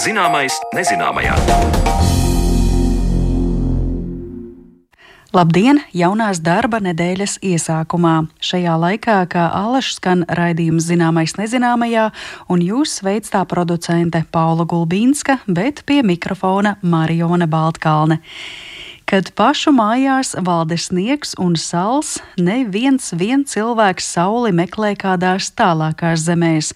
Zināmais nezināmajā. Labdien! Jaunās darba nedēļas iesākumā. Šajā laikā, kā alaši skan raidījums Zināmais nezināmajā, un jūs sveic tā producente Paula Gulbīnska, bet pie mikrofona Mariona Baltkalne. Kad pašu mājās valda sniegs un sals, neviens cilvēks sauli meklē kādās tālākās zemēs.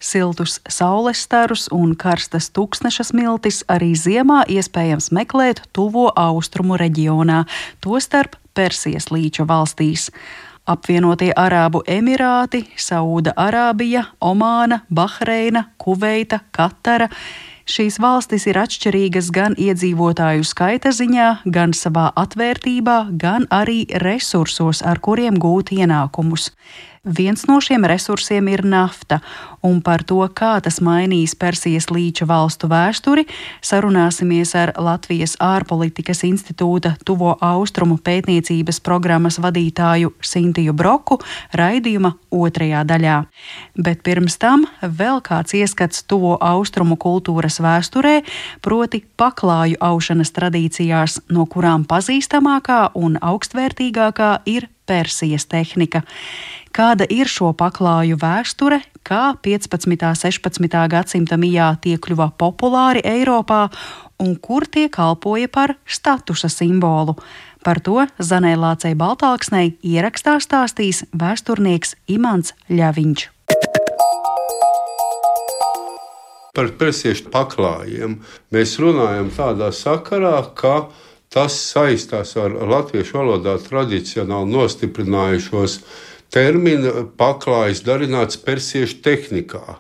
Siltus saules starus un karstas tuksneša smiltis arī ziemā iespējams meklēt tuvo austrumu reģionā, tostarp Persijas līča valstīs. Apvienotie Arābu Emirāti, Sauda Arābija, Omāna, Bahreina, Kuveita, Katara. Šīs valstis ir atšķirīgas gan iedzīvotāju skaita ziņā, gan savā atvērtībā, gan arī resursos, ar kuriem gūt ienākumus. Viens no šiem resursiem ir nafta, un par to, kā tas mainīs Persijas līča valstu vēsturi, sarunāsimies ar Latvijas ārpolitikas institūta Tuvo austrumu pētniecības programmas vadītāju Sintiju Broku raidījuma otrajā daļā. Bet pirms tam vēl kāds ieskats Tuvo austrumu kultūras vēsturē, proti paklāju aušanas tradīcijās, no kurām pazīstamākā un augstvērtīgākā ir Persijas tehnika. Kāda ir šo paklāju vēsture, kā 15. un 16. gadsimta mijā tie kļuva populāri Eiropā un kur tie kalpoja par statusa simbolu? Par to Zanei Lācei Baltāksnei ierakstā stāstīs vēsturnieks Imants Ļaviņš. Par persiešu paklājiem mēs runājam tādā sakarā, ka tas saistās ar latviešu valodā tradicionāli nostiprinājušos terminu paklājs darināts persiešu tehnikā.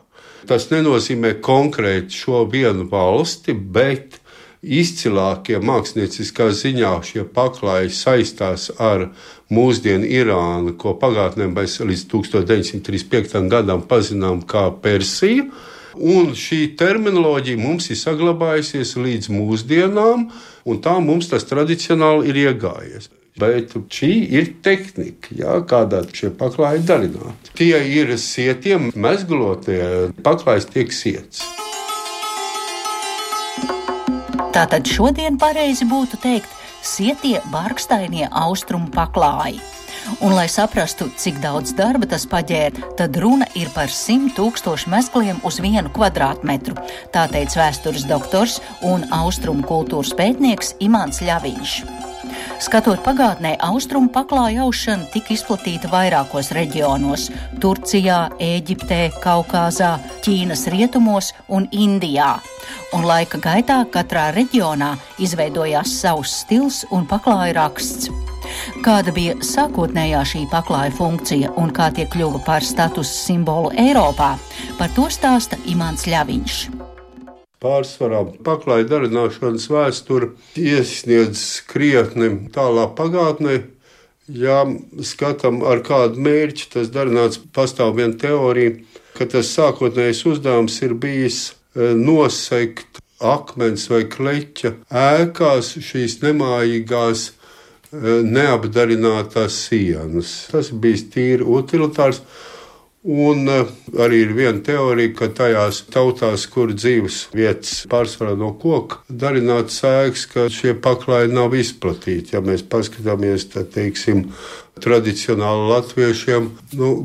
Tas nenozīmē konkrēti šo vienu valsti, bet izcilākie mākslinieckā ziņā šie paklāji saistās ar mūsdienu Irānu, ko pagātnē mēs līdz 1935. gadam pazinām kā Persiju. Un šī terminoloģija mums ir saglabājusies līdz mūsdienām, un tā mums tas tradicionāli ir iegājies. Bet šī ir tehnika, kādā šie paklāji darināti. Tie ir sietiem mezglotie, paklājs tiek siets. Tātad šodien pareizi būtu teikt sietie barkstainie austrumu paklāji. Un, lai saprastu, cik daudz darba tas paģēra, tad runa ir par 100 000 mezgliem uz 1 kvadrātmetru. Tā teica vēstures doktors un austrumu kultūras pētnieks Imants Ļaviņš. Skatot pagātnē, austrumu paklāju aušana tika izplatīta vairākos reģionos – Turcijā, Ēģiptē, Kaukāzā, Ķīnas rietumos un Indijā. Un laika gaitā katrā reģionā izveidojās savs stils un paklāju raksts. Kāda bija sākotnējā šī paklāja funkcija un kā tie kļuva par status simbolu Eiropā, par to stāsta Imants Ļaviņš. Pārsvarā paklāja darināšanas vēsture iesniedz krietni tālā pagātnē. Ja skatām ar kādu mērķi, tas darināts, pastāv viena teorija, ka tas sākotnējais uzdevums ir bijis nosegt akmens vai kleķa ēkās šīs nemājīgās neapdarinātās sienas. Tas bija tīri utilitārs. Un arī ir viena teorija, ka tajās tautās, kur dzīves vietas pārsvarā no koka darināts ēkas, ka šie paklāji nav izplatīti. Ja mēs paskatāmies, tad, teiksim, tradicionāli latviešiem,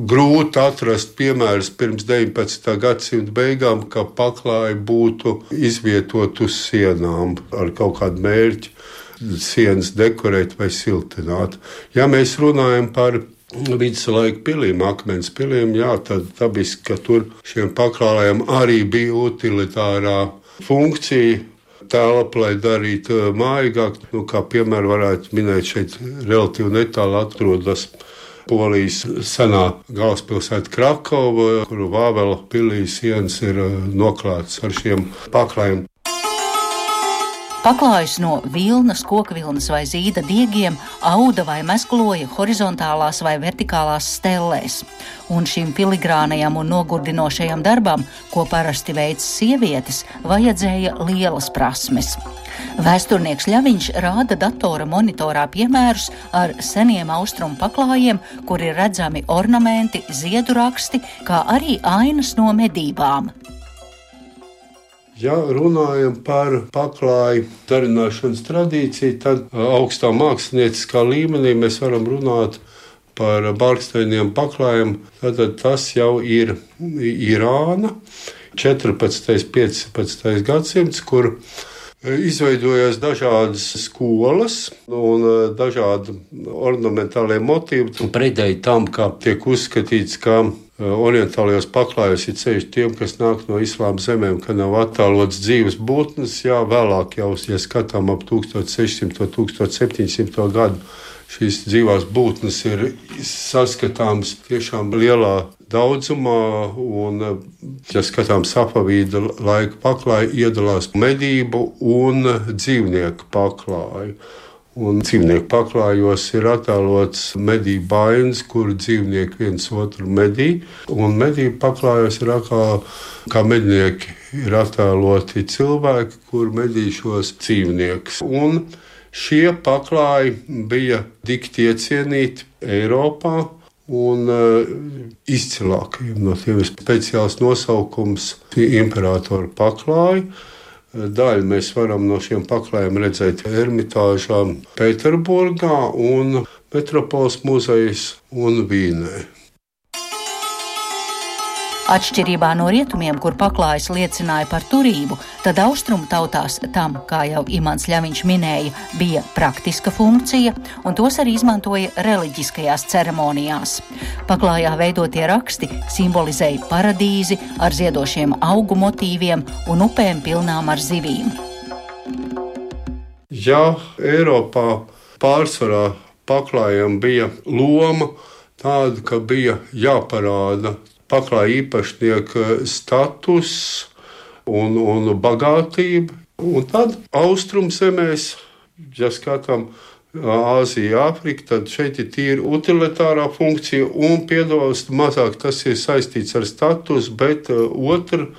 grūti atrast piemērus pirms 19. gadsimta beigām, ka paklāji būtu izvietot uz sienām ar kaut kādu mērķi, sienas dekorēt vai siltināt. Ja mēs runājam par viduslaika pilīm, akmens pilīm, tad dabiski, ka tur šiem paklājiem arī bija utilitārā funkcija telpa, lai darītu mājīgāk. Kā piemēru varētu minēt, šeit relatīvi netālu atrodas Polijas senā galvaspilsēta Krakova, kuru Vāvela pilī sienas ir noklātas ar šiem paklājiem. Paklājus no vilnas, kokvilnas vai zīda diegiem auda vai mezgloja horizontālās vai vertikālās stellēs. Un šim filigrānajam un nogurdinošajam darbam, ko parasti veic sievietes, vajadzēja lielas prasmes. Vēsturnieks Ļaviņš rāda datora monitorā piemērus ar seniem austrumu paklājiem, kur ir redzami ornamenti, ziedu raksti, kā arī ainas no medībām. Ja runājam par paklāju darināšanas tradīciju, tad augstā mākslinieckā līmenī mēs varam runāt par barkstainiem paklājiem. Tad tas jau ir Irāna, 14. un 15. gadsimts, kur izveidojās dažādas skolas un dažādi ornamentālie motīvi. Pretēji tam, kā tiek uzskatīts, ka orientālajos paklājos ir ceļš tiem, kas nāk no islāma zemēm, ka nav attēlots dzīves būtnes. Jā, vēlāk jau, ja skatām ap 1600. un 1700. gadu, šīs dzīvās būtnes ir saskatāmas tiešām lielā daudzumā, un, ja skatām Safavīda laika paklāju, iedalās medību un dzīvnieku paklāju. Un dzīvnieku paklājos ir attēlots medību ainas, kur dzīvnieki viens otru medī. Un medību paklājos ir kā mednieki ir attēloti cilvēki, kur medī šos dzīvniekus. Un šie paklāji bija dikti iecienīti Eiropā, un izcilākajiem no tiem ir speciāls nosaukums imperatora paklāji. Daļu mēs varam no šiem paklājiem redzēt Ermitāžā, Pēterburgā un Metropoles muzejs un Vīnē. Atšķirībā no rietumiem, kur paklājas liecināja par turību, tad austrumu tautās tam, kā jau Imants Ļaviņš minēja, bija praktiska funkcija, un tos arī izmantoja reliģiskajās ceremonijās. Paklājā veidotie raksti simbolizēja paradīzi ar ziedošiem augu motīviem un upēm pilnām ar zivīm. Ja Eiropā pārsvarā paklājiem bija loma tāda, ka bija jāparāda paklāja īpašnieka status un bagātība. Un tad austrumzemēs, ja skatām Āziju, Āfriku, tad šeit ir tīri utilitārā funkcija un piedalās mazāk tas ir saistīts ar status, bet otra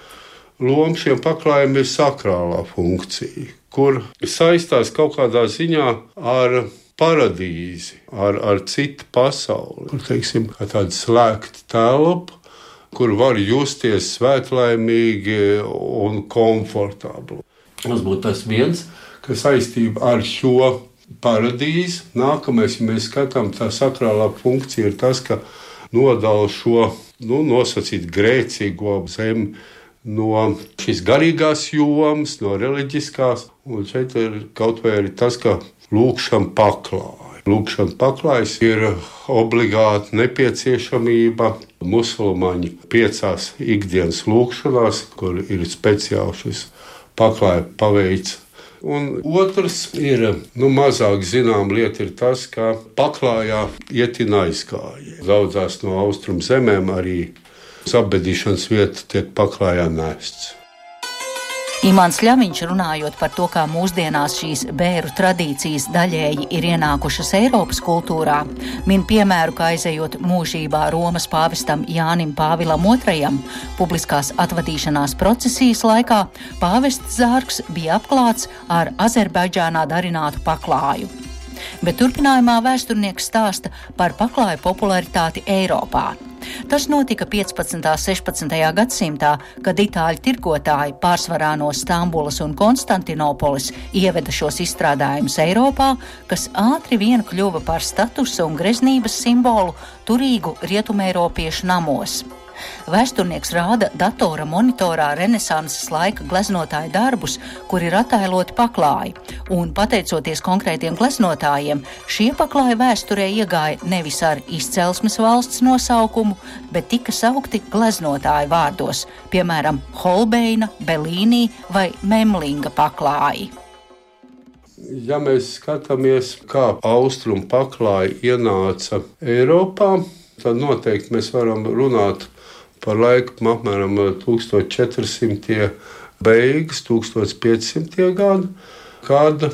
loma šiem paklājiem ir sakrālā funkcija, kur saistās kaut kādā ziņā ar paradīzi, ar citu pasauli. Kur, teiksim, tāda slēgta telpa, kur var justies svētlaimīgi un komfortabli. Tas būtu tas viens, kas saistība ar šo paradīzi. Nākamais, ja mēs skatām, tā sakrālā funkcija ir tas, ka nodala šo, nosacīt grēcīgo zemi no šīs garīgās jomas, no reliģiskās. Un šeit ir kaut vai arī tas, ka lūkšana paklāja. Lūkšana paklājas ir obligāta nepieciešamība musulmaņu 5 ikdienas lūkšanās, kur ir speciāli šis paklāja paveids. Un otrs ir, mazāk zinām lieta ir tas, ka paklājā ietina aizkāji. Daudzās no austrumu zemēm arī apbedīšanas vieta tiek paklājā nests. Imants Ļaviņš, runājot par to, kā mūsdienās šīs bēru tradīcijas daļēji ir ienākušas Eiropas kultūrā, min piemēru, kā aizejot mūžībā Romas pāvestam Jānim Pāvilam II publiskās atvadīšanās procesijas laikā, pāvests zārks bija apklāts ar Azerbaidžānā darinātu paklāju. Bet turpinājumā vēsturnieks stāsta par paklāju popularitāti Eiropā. Tas notika 15. un 16. gadsimtā, kad itāļu tirgotāji pārsvarā no Stambulas un Konstantinopolis ieveda šos izstrādājumus Eiropā, kas ātri vien kļuva par statusa un greznības simbolu turīgu rietumeiropiešu namos. Vēsturnieks rāda datora monitorā renesanses laika gleznotāju darbus, kur ir attēloti paklāji, un pateicoties konkrētiem gleznotājiem, šie paklāji vēsturē iegāja nevis ar izcelsmes valsts nosaukumu, bet tika saukti gleznotāju vārdos, piemēram, Holbeina, Bellīnī vai Memlinga paklāji. Ja mēs skatāmies, kā austrumu paklāji ienāca Eiropā, tad noteikti mēs varam runāt par laiku apmēram 1400. beigas, 1500. gadu, kad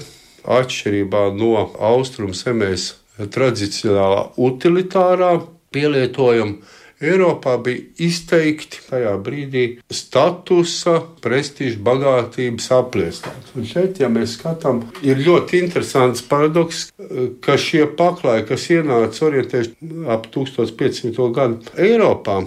atšķirībā no austrumu zemēs tradicionālā utilitārā pielietojuma Eiropā bija izteikti tajā brīdī statusa, prestiža, bagātības apliecināts. Un šeit, ja mēs skatām, ir ļoti interesants paradoks, ka šie paklāji, kas ienāca orientēši ap 1500. gadu Eiropā,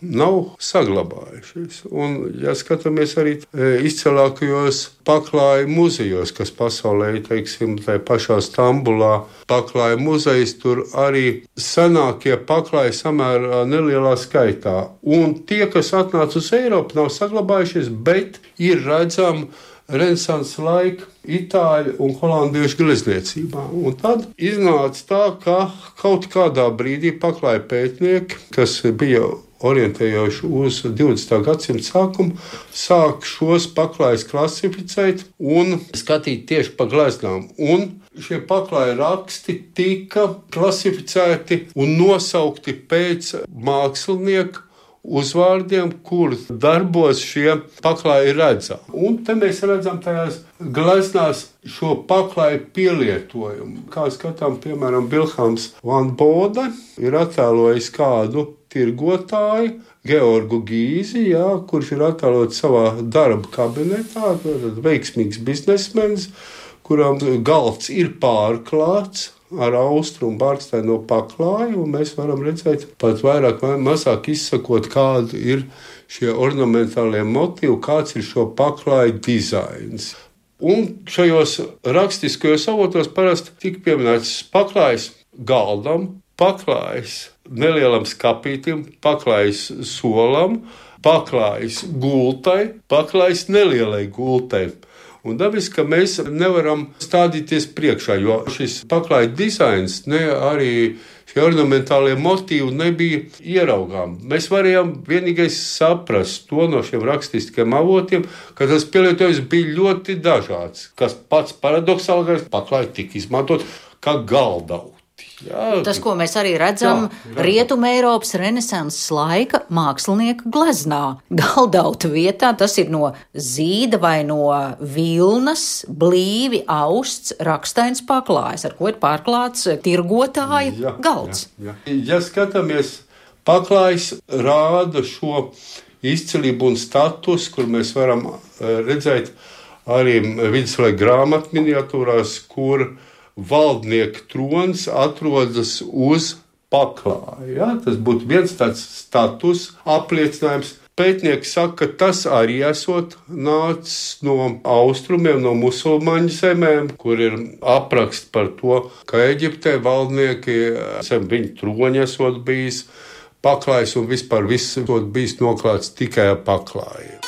nav saglabājušies. Un, ja skatāmies arī izcilākajos paklāju muzejos, kas pasaulē, teiksim, tajā pašā Stambulā, paklāju muzejs, tur arī senākie paklāji samērā nelielā skaitā. Un tie, kas atnāca uz Eiropu, nav saglabājušies, bet ir redzami Renesanses laika itāļu un holandiešu glezniecībā. Un tad iznāca tā, ka kaut kādā brīdī paklāja pētnieki, kas bija orientējoši uz 20. gadsimta sākumu, sāk šos paklājus klasificēt un skatīt tieši pa gleznām. Un šie paklāju raksti tika klasificēti un nosaukti pēc mākslinieka uzvārdiem, kur darbos šie paklāji redzami. Un te mēs redzam tajās gleznās šo paklāju pielietojumu. Kā skatām, piemēram, Vilhelms van Bode ir attēlojis kādu tirgotāju, Georgu Gīzi, kurš ir attēlots savā darba kabinetā, veiksmīgs biznesmenis, kuram galds ir pārklāts ar austrumu barkstaino paklāju, un mēs varam redzēt pat vairāk vai mazāk izsakot, kādi ir šie ornamentālie motīvi, kāds ir šo paklāju dizains. Un šajos rakstiskajos avotos parasti tika pieminēts paklājs galdam, paklājs nelielam skapītim, paklājs solam, paklājs gultai, paklājs nelielai gultai. Un dabiski, ka mēs nevaram stādīties priekšā, jo šis paklāja dizains, arī šie ornamentālie motīvi nebija ieraugām. Mēs varējām vienīgais saprast to no šiem rakstiskiem avotiem, ka tas pielietojums bija ļoti dažāds, kas pats paradoxālākais paklāja tika izmantot kā galdauti. Tas, ko mēs arī redzam Rietuma Eiropas Renesanses laika mākslinieka gleznā. Galdauta vietā tas ir no zīda vai no vilnas, blīvi austs, rakstains paklājs, ar ko ir pārklāts tirgotāja galds. Ja skatāmies, paklājs rāda šo izcilību un status, kur mēs varam redzēt arī viduslaika grāmatu miniatūrās, kur valdnieka trons atrodas uz paklāja. Tas būtu viens tāds status apliecinājums. Pētnieki saka, ka tas arī esot nācis no austrumiem, no musulmaņu zemēm, kur ir apraksts par to, ka Eģiptē valdnieki zem viņu troņa esot bijis paklājs un vispār viss esot bijis noklāts tikai ar paklāju.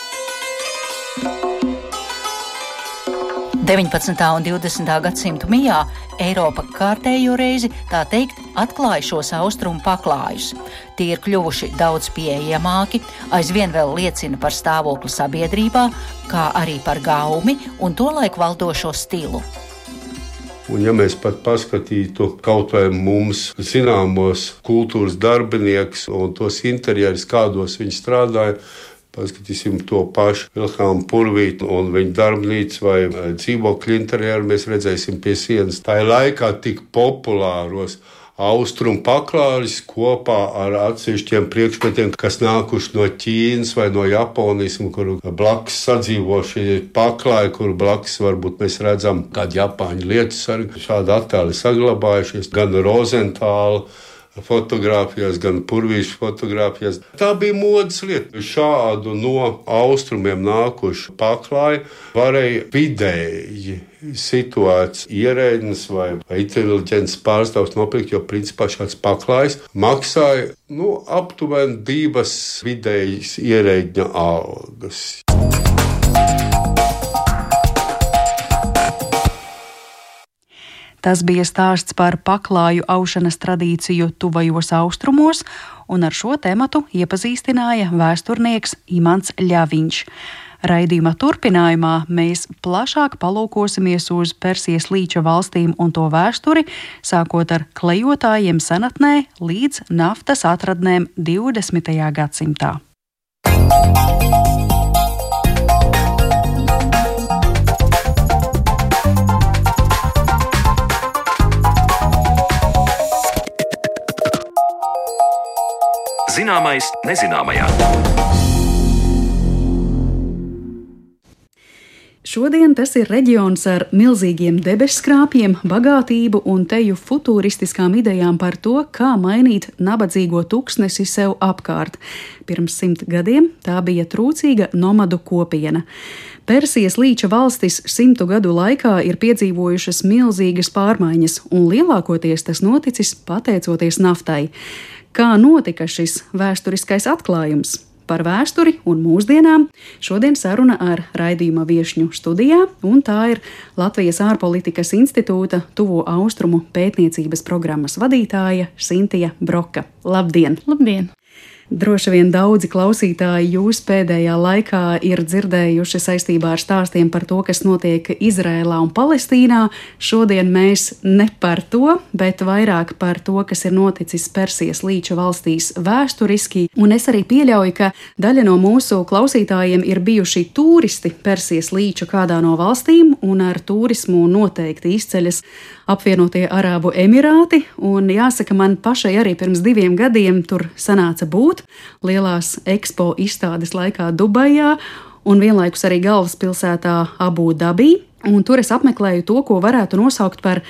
19. un 20. gadsimtu mijā Eiropa kārtējo reizi, tā teikt, atklāja šos austrumu paklājus. Tie ir kļuvuši daudz pieejamāki, aizvien vēl liecina par stāvokli sabiedrībā, kā arī par gaumi un tolaik valdošo stilu. Un ja mēs pat paskatītu kaut vai mums zināmos kultūras darbinieks un tos interjerus, kādos viņi strādāja, paskatīsim to pašu Vilhelmu Purvītu un viņa darbnīcu vai dzīvokļu interjeru, mēs redzēsim pie sienas. Tā laikā tik populāros austrumu paklājus kopā ar atsevišķiem priekšmetiem, kas nākuši no Ķīnas vai no Japānijas, kur blakus sadzīvo šie paklāji, kur blakus varbūt mēs redzam kādu Japāņu lietusargu. Šādi attēli saglabājušies gan Rozentāla fotogrāfijās, gan Purvīšu fotogrāfijās. Tā bija modes lieta. Šādu no austrumiem nākušu paklāju varēja vidēji situēts ierēdnis vai inteliģents pārstāvs nopirkt, jo principā šāds paklājs maksāja aptuveni 2 vidējas ierēdņa algas. Tas bija stāsts par paklāju aušanas tradīciju tuvajos austrumos, un ar šo tematu iepazīstināja vēsturnieks Imants Ļaviņš. Raidījuma turpinājumā mēs plašāk palūkosimies uz Persijas līča valstīm un to vēsturi, sākot ar klejotājiem senatnē līdz naftas atradnēm 20. gadsimtā. Zināmais nezināmajā. Šodien tas ir reģions ar milzīgiem debesskrāpjiem, bagātību un teju futūristiskām idejām par to, kā mainīt nabadzīgo tuksnesi sev apkārt. Pirms 100 gadiem tā bija trūcīga nomadu kopiena. Persijas līča valstis 100 gadu laikā ir piedzīvojušas milzīgas pārmaiņas, un lielākoties tas noticis pateicoties naftai. Kā notika šis vēsturiskais atklājums? Par vēsturi un mūsdienām šodien saruna ar raidījuma viešņu studijā, un tā ir Latvijas ārpolitikas institūta Tuvo Austrumu pētniecības programmas vadītāja Sintija Broka. Labdien! Labdien! Droši vien daudzi klausītāji jūs pēdējā laikā ir dzirdējuši saistībā ar stāstiem par to, kas notiek Izrēlā un Palestīnā. Šodien mēs ne par to, bet vairāk par to, kas ir noticis Persijas līča valstīs vēsturiski. Un es arī pieļauju, ka daļa no mūsu klausītājiem ir bijuši turisti Persijas līča kādā no valstīm, un ar turismu noteikti izceļas Apvienotie Arābu Emirāti. Un jāsaka, man pašai arī pirms 2 gadiem tur sanāca būt. Lielās ekspo izstādes laikā Dubajā un vienlaikus arī galvaspilsētā Abu Dabī. Un tur es apmeklēju to, ko varētu nosaukt par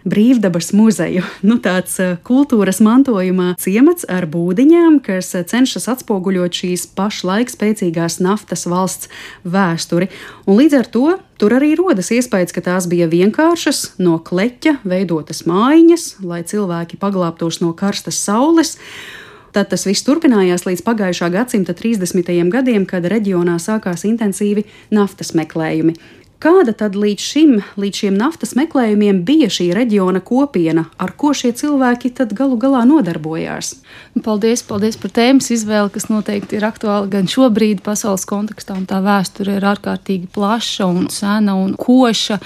brīvdabas muzeju. Tāds kultūras mantojuma ciemats ar būdiņām, kas cenšas atspoguļot šīs pašlaik spēcīgās naftas valsts vēsturi. Un līdz ar to tur arī rodas iespējas, ka tās bija vienkāršas, no kleķa veidotas mājiņas, lai cilvēki paglābtos no karstas saules. Tad tas viss turpinājās līdz pagājušā gadsimta 30. gadiem, kad reģionā sākās intensīvi naftas meklējumi. Kāda tad līdz šiem naftas meklējumiem bija šī reģiona kopiena, ar ko šie cilvēki tad galu galā nodarbojās? Paldies par tēmas izvēli, kas noteikti ir aktuāla gan šobrīd pasaules kontekstā, un tā vēsture ir ārkārtīgi plaša un sena un koša,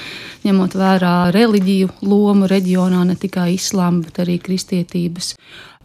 ņemot vērā reliģiju lomu reģionā, ne tikai islāma, bet arī kristietības.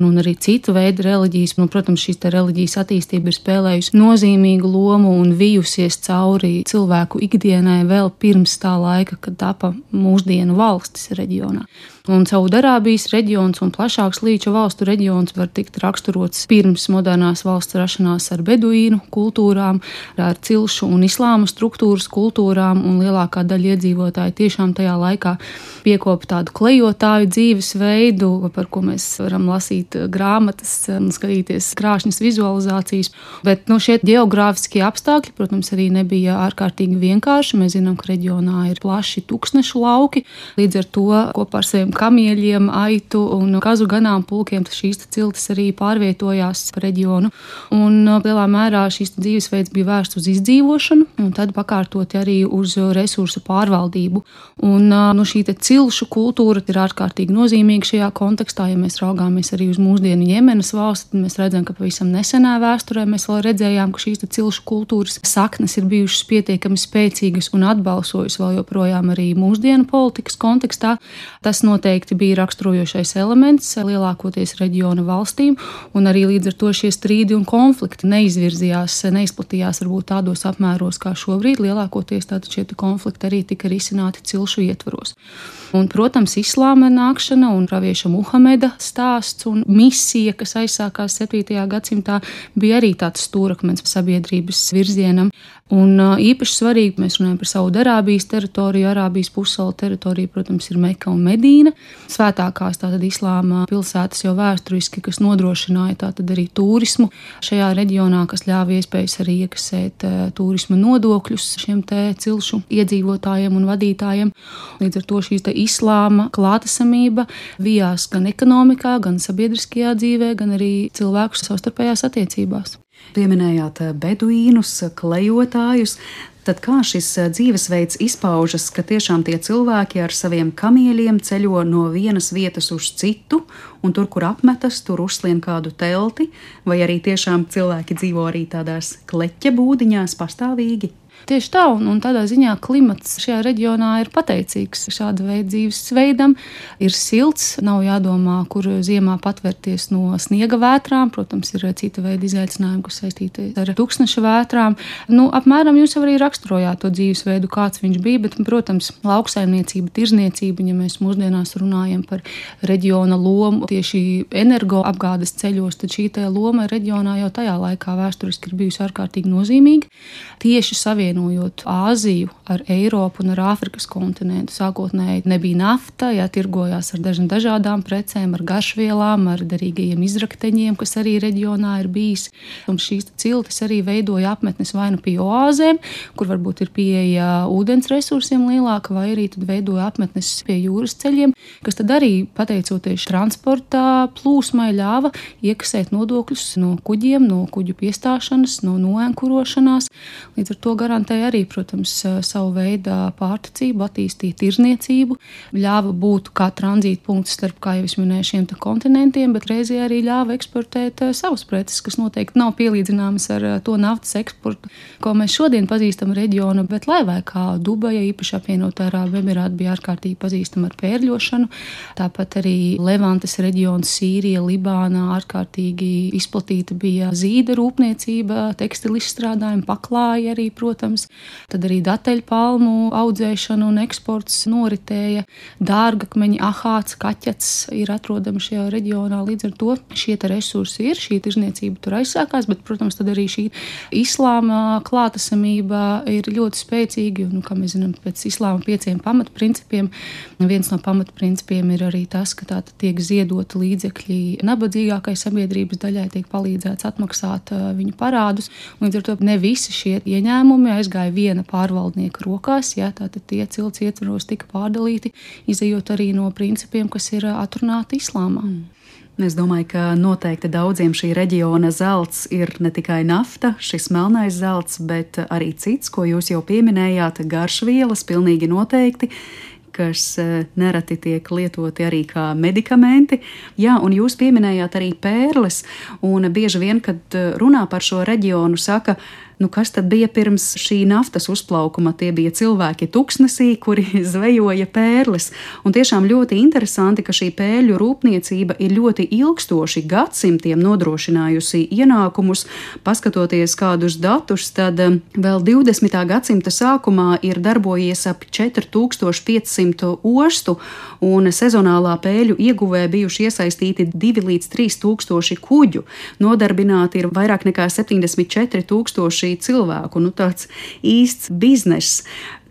Un arī citu veidu reliģijas. Protams, šīs reliģijas attīstība ir spēlējusi nozīmīgu lomu un vijusies cauri cilvēku ikdienai vēl pirms tā laika, kad tapa mūsdienu valstis reģionā. Un Saudarābijas reģions un plašāks līča valstu reģions var tikt raksturots pirms modernās valsts rašanās ar beduīnu kultūrām, ar cilšu un islāma struktūras kultūrām, un lielākā daļa iedzīvotāji tiešām tajā laikā piekopa tādu klejotāju dzīvesveidu, par ko mēs varam lasīt grāmatas un skatīties krāšņas vizualizācijas. Bet šie geogrāfiskie apstākļi, protams, arī nebija ārkārtīgi vienkārši. Mēs zinām, ka reģionā ir plaši tuksnešu lauki, līdz ar to kopā ar saviem kamieļiem, aitu un kazu ganāmpulkiem šīs ciltis arī pārvietojās pa reģionu. Un lielā mērā šīs dzīvesveids bija vērsts uz izdzīvošanu un tad pakārtoti arī uz resursu pārvaldību. Un šī cilšu kultūra ir ārkārtīgi nozīmīga šajā kontekstā. Ja mēs raugāmies arī uz mūsdienu Jemenas valsti, tad mēs redzam, ka pavisam nesenā vēsturē mēs vēl redzējām, ka šīs cilšu kultūras saknes ir bijušas pietiekami spēcīgas un atbalsojusi vēl joprojām arī mūsdienu politikas kontekstā. Tas noteikti bija raksturojošais elements lielākoties reģiona valstīm, un arī līdz ar to šie strīdi un konflikti neizplatījās varbūt tādos apmēros kā šobrīd. Lielākoties tātad šie konflikti arī tika risināti cilšu ietvaros. Un, protams, islāma nākšana un pravieša Muhameda stāsts un misija, kas aizsākās 7. gadsimtā, bija arī tāds stūrakmens sabiedrības virzienam. Un īpaši svarīgi, mēs runājam par Saudarābijas teritoriju, Arābijas pussalu teritoriju, protams, ir Meka un Medīna. Svētākās tātad islāma pilsētas jau vēsturiski, kas nodrošināja tātad arī turismu šajā reģionā, kas ļāva iespējas arī iekasēt turisma nodokļus šiem cilšu iedzīvotājiem un vadītājiem. Līdz ar to šīs islāma klātesamība vijās gan ekonomikā, gan sabiedriskajā dzīvē, gan arī cilvēku savstarpējās attiecībās. Pieminējāt beduīnus, klejotājus. Tad kā šis dzīvesveids izpaužas, ka tiešām tie cilvēki ar saviem kamieļiem ceļo no vienas vietas uz citu, un tur, kur apmetas, tur uzslien kādu telti, vai arī tiešām cilvēki dzīvo arī tādās kleķa būdiņās pastāvīgi? Tieši tā, un tādā ziņā klimats šajā reģionā ir pateicīgs šāda veida dzīvesveidam. Ir silts, nav jādomā, kur ziemā patvērties no sniega vētrām. Protams, ir cita veida izaicinājumi, kas saistīti ar tuksneša vētrām. Apmēram jūs jau arī raksturojāt to dzīvesveidu, kāds viņš bija, bet, protams, lauksaimniecība, tirzniecība, ja mēs mūsdienās runājam par reģiona lomu tieši energoapgādes ceļos, tad šī loma reģionā jau tajā laikā vēsturiski ir bijusi ārkārtīgi nozīmīga. Tieši savienojums savienojot Āziju ar Eiropu un ar Āfrikas kontinentu. Sākotnēji nebija nafta, tirgojās ar dažādām precēm, ar garšvielām, ar derīgajiem izrakteņiem, kas arī reģionā ir bijis. Un šīs ciltis arī veidoja apmetnes vai nu pie oāzēm, kur varbūt ir pieeja ūdens resursiem lielāka, vai arī tad veidoja apmetnes pie jūras ceļiem, kas tad arī, pateicoties transporta plūsmai, ļāva iekasēt nodokļus no kuģiem, no kuģu piestāšanas, no noenkurošanās. Līdz ar to garantēja arī, protams, savu veidu pārticību, attīstīt tirzniecību, ļāva būt kā tranzīta punkts starp, kā jau es minēju, šiem kontinentiem, bet reizē arī ļāva eksportēt savus preces, kas noteikti nav pielīdzināmas ar to naftas eksportu, ko mēs šodien pazīstam reģionu, bet laivai kā Dubaja, īpaši apvienotā Arābu Emirāti, bija ārkārtīgi pazīstama ar pērļošanu. Tāpat arī Levantes reģions, Sīrija, Libānā ārkārtīgi izplatīta bija zīda rūpniecība, tekstilu izstrādājumi, paklāji arī, protams. Tad arī dateļpalmu audzēšana un eksports noritēja. Dārgakmeņi, ahāts, kaķets ir atrodami šajā reģionā. Līdz ar to šie resursi ir, šī tirzniecība tur aizsākās, bet, protams, tad arī šī islāma klātesamība ir ļoti spēcīga. Kā mēs zinām, pēc islāma 5 pamatprincipiem, viens no pamatprincipiem ir arī tas, ka tātad tiek ziedoti līdzekļi nabadzīgākai sabiedrības daļai, tiek palīdzēts atmaksāt viņu parādus. Līdz ar to ne visi šie ieņēmumi aizgāja viena pārvaldnieka rokās, tātad tie cilts ietvaros tika pārdalīti, izejot arī no principiem, kas ir atrunāti islāmā. Es domāju, ka noteikti daudziem šī reģiona zelts ir ne tikai nafta, šis melnais zelts, bet arī cits, ko jūs jau pieminējāt, garšvielas, pilnīgi noteikti, kas nereti tiek lietoti arī kā medikamenti. Jā, un jūs pieminējāt arī pērles, un bieži vien, kad runā par šo reģionu, saka, kas tad bija pirms šī naftas uzplaukuma? Tie bija cilvēki tuksnesī, kuri zvejoja pērles. Un tiešām ļoti interesanti, ka šī pērļu rūpniecība ir ļoti ilgstoši gadsimtiem nodrošinājusi ienākumus. Paskatoties kādus datus, tad vēl 20. gadsimta sākumā ir darbojies ap 4500 ostu, un sezonālā pēļu ieguvē bijuši iesaistīti 2 līdz 3 tūkstoši kuģu. Nodarbināti ir vairāk nekā 74 tūkstoši cilvēku, tāds īsts bizness.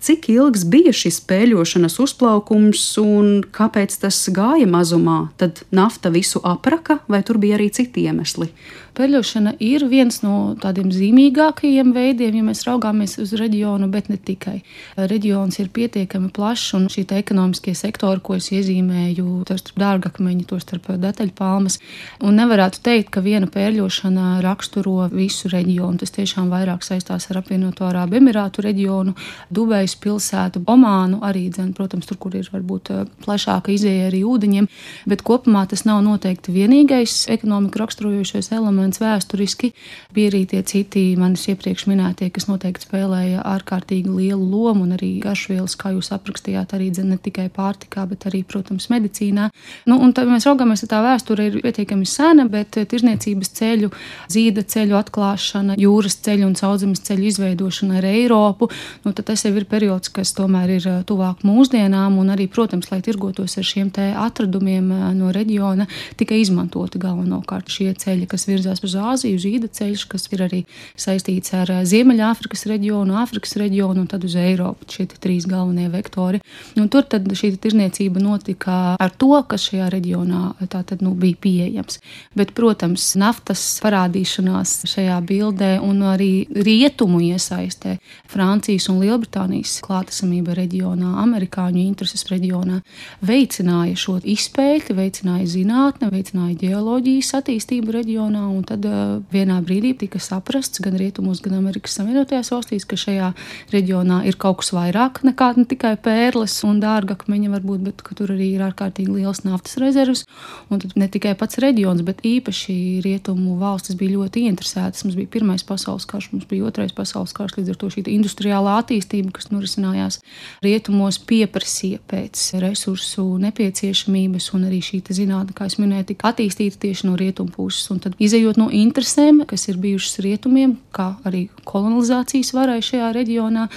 Cik ilgs bija šis pēļošanas uzplaukums un kāpēc tas gāja mazumā? Tad nafta visu apraka vai tur bija arī citi iemesli? Pērļošana ir viens no tādiem zīmīgākajiem veidiem, ja mēs raugāmies uz reģionu, bet ne tikai. Reģions ir pietiekami plašs un šī ekonomiskie sektori, ko es iezīmēju, to starp dārgakmeņi, to starp dateļpalmas. Un nevarētu teikt, ka viena pērļošana raksturo visu reģionu. Tas tiešām vairāk saistās ar apvienoto Arābu Emirātu reģionu, Dubajas pilsētu, Omānu arī, protams, tur, kur ir varbūt plašāka izēja arī ūdeņiem, bet kopumā tas nav noteikti vienīgais ekonomiku raksturojošais elements vēsturiski. Bija arī tie citi manis iepriekš minētie, kas noteikti spēlēja ārkārtīgi lielu lomu, un arī garšvielas, kā jūs aprakstījāt, arī ne tikai pārtikā, bet arī, protams, medicīnā. Un tad mēs raugāmies, ka tā vēsture ir pietiekami sena, bet tirzniecības ceļu, zīda ceļu atklāšana, jūras ceļu un sauszemes ceļu izveidošana ar Eiropu, tad tas jau ir periods, kas tomēr ir tuvāk mūsdienām, un arī, protams, lai tirgotos ar šiem te atradumiem no reģiona, tika izmantoti galvenokārt šie ceļi, kas virzās uz Āziju, zīda ceļš, kas ir arī saistīts ar Ziemeļāfrikas reģionu, Āfrikas reģionu un tad uz Eiropu. Šie 3 galvenie vektori. Tur tad šī tirzniecība notika ar to, kas šajā reģionā tātad bija pieejams. Bet, protams, naftas parādīšanās šajā bildē un arī rietumu iesaistē, Francijas un Lielbritānijas klātesamība reģionā, amerikāņu intereses reģionā, veicināja šo izpēti, veicināja zinātne, veicināja ģeoloģijas attīstību reģionā, un tad vienā brīdī tika saprasts gan rietumos, gan Amerikas Savienotajās valstīs, ka šajā reģionā ir kaut kas vairāk nekā ne tikai pērles un dārgakmeņi varbūt, bet ka tur arī ir ārkārtīgi liels naftas rezervs, un tad ne tikai pats reģions, bet īpaši rietumu valstis bija ļoti interesētas. Mums bija Pirmais pasaules karš, mums bija Otrais pasaules karš, līdz ar to šī industriālā attīstība, kas norisinājās rietumos, pieprasīja pēc resursu nepieciešamības, un arī šī zinātne, kā es minēju, tika attīstīta tieši no rietumu puses, un tad izejot no interesēm, kas ir bijušas rietumiem, kā arī kolonizācijas varai šajā reģionā,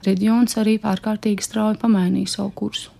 reģions arī ārkārtīgi strauji pamainīja savu kursu.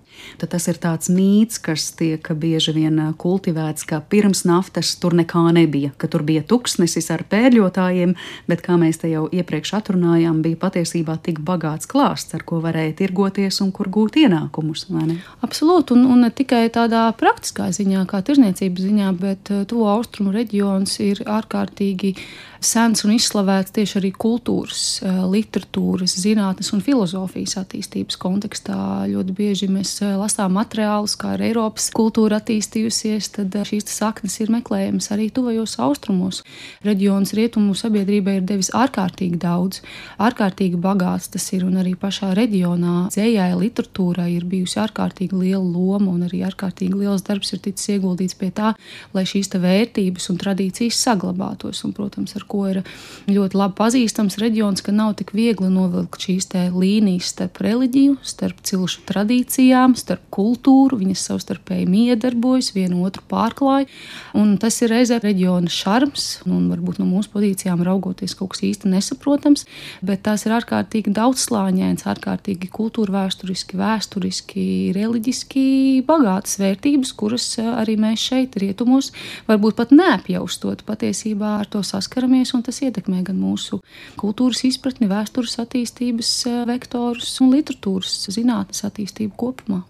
Tad tas ir tāds mīts, kas tiek bieži vien kultivēts, ka pirms naftas tur nekā nebija, ka tur bija tuksnesis ar pērļotājiem, bet, kā mēs te jau iepriekš atrunājām, bija patiesībā tik bagāts klāsts, ar ko varēja tirgoties un kur gūt ienākumus, vai ne? Absolūti, un ne tikai tādā praktiskā ziņā, kā tirdzniecības ziņā, bet Tuvo austrumu reģions ir ārkārtīgi sens un izslavēts tieši arī kultūras, literatūras, zinātnes un filozofijas attīstības kontekstā. Ļoti bieži mēs lasām materiālus, kā ir Eiropas kultūra attīstījusies, tad šīs saknes ir meklējamas arī tuvajos austrumos. Reģions rietumu sabiedrībai ir devis ārkārtīgi daudz, ārkārtīgi bagāts tas ir, un arī pašā reģionā dzējai, literatūrai ir bijusi ārkārtīgi liela loma, un arī ārkārtīgi liels darbs ir ticis ieguldīts pie tā, lai šīs vērtības un tradīcijas saglabātos, un, protams, ar ko ir ļoti labi pazīstams reģions, ka nav tik viegli novilkt šīs līnijas starp reliģiju, starp cilšu tradīcijām, starp kultūru, viņas savstarpēji miedarbojas, vienu otru pārklāj, un tas ir reizē reģiona šarms, un varbūt no mūsu pozīcijām raugoties kaut kas īsti nesaprotams, bet tās ir ārkārtīgi daudzslāņains, ārkārtīgi kultūrvēsturiski, vēsturiski, reliģiski bagātas vērtības, kuras arī mēs šeit rietumos varbūt pat neapjaustot, patiesībā ar to saskaramies, un tas ietekmē gan mūsu kultūras izpratni, vēstures attīstības vektorus un literatūras zinātnes attīstību kopumā.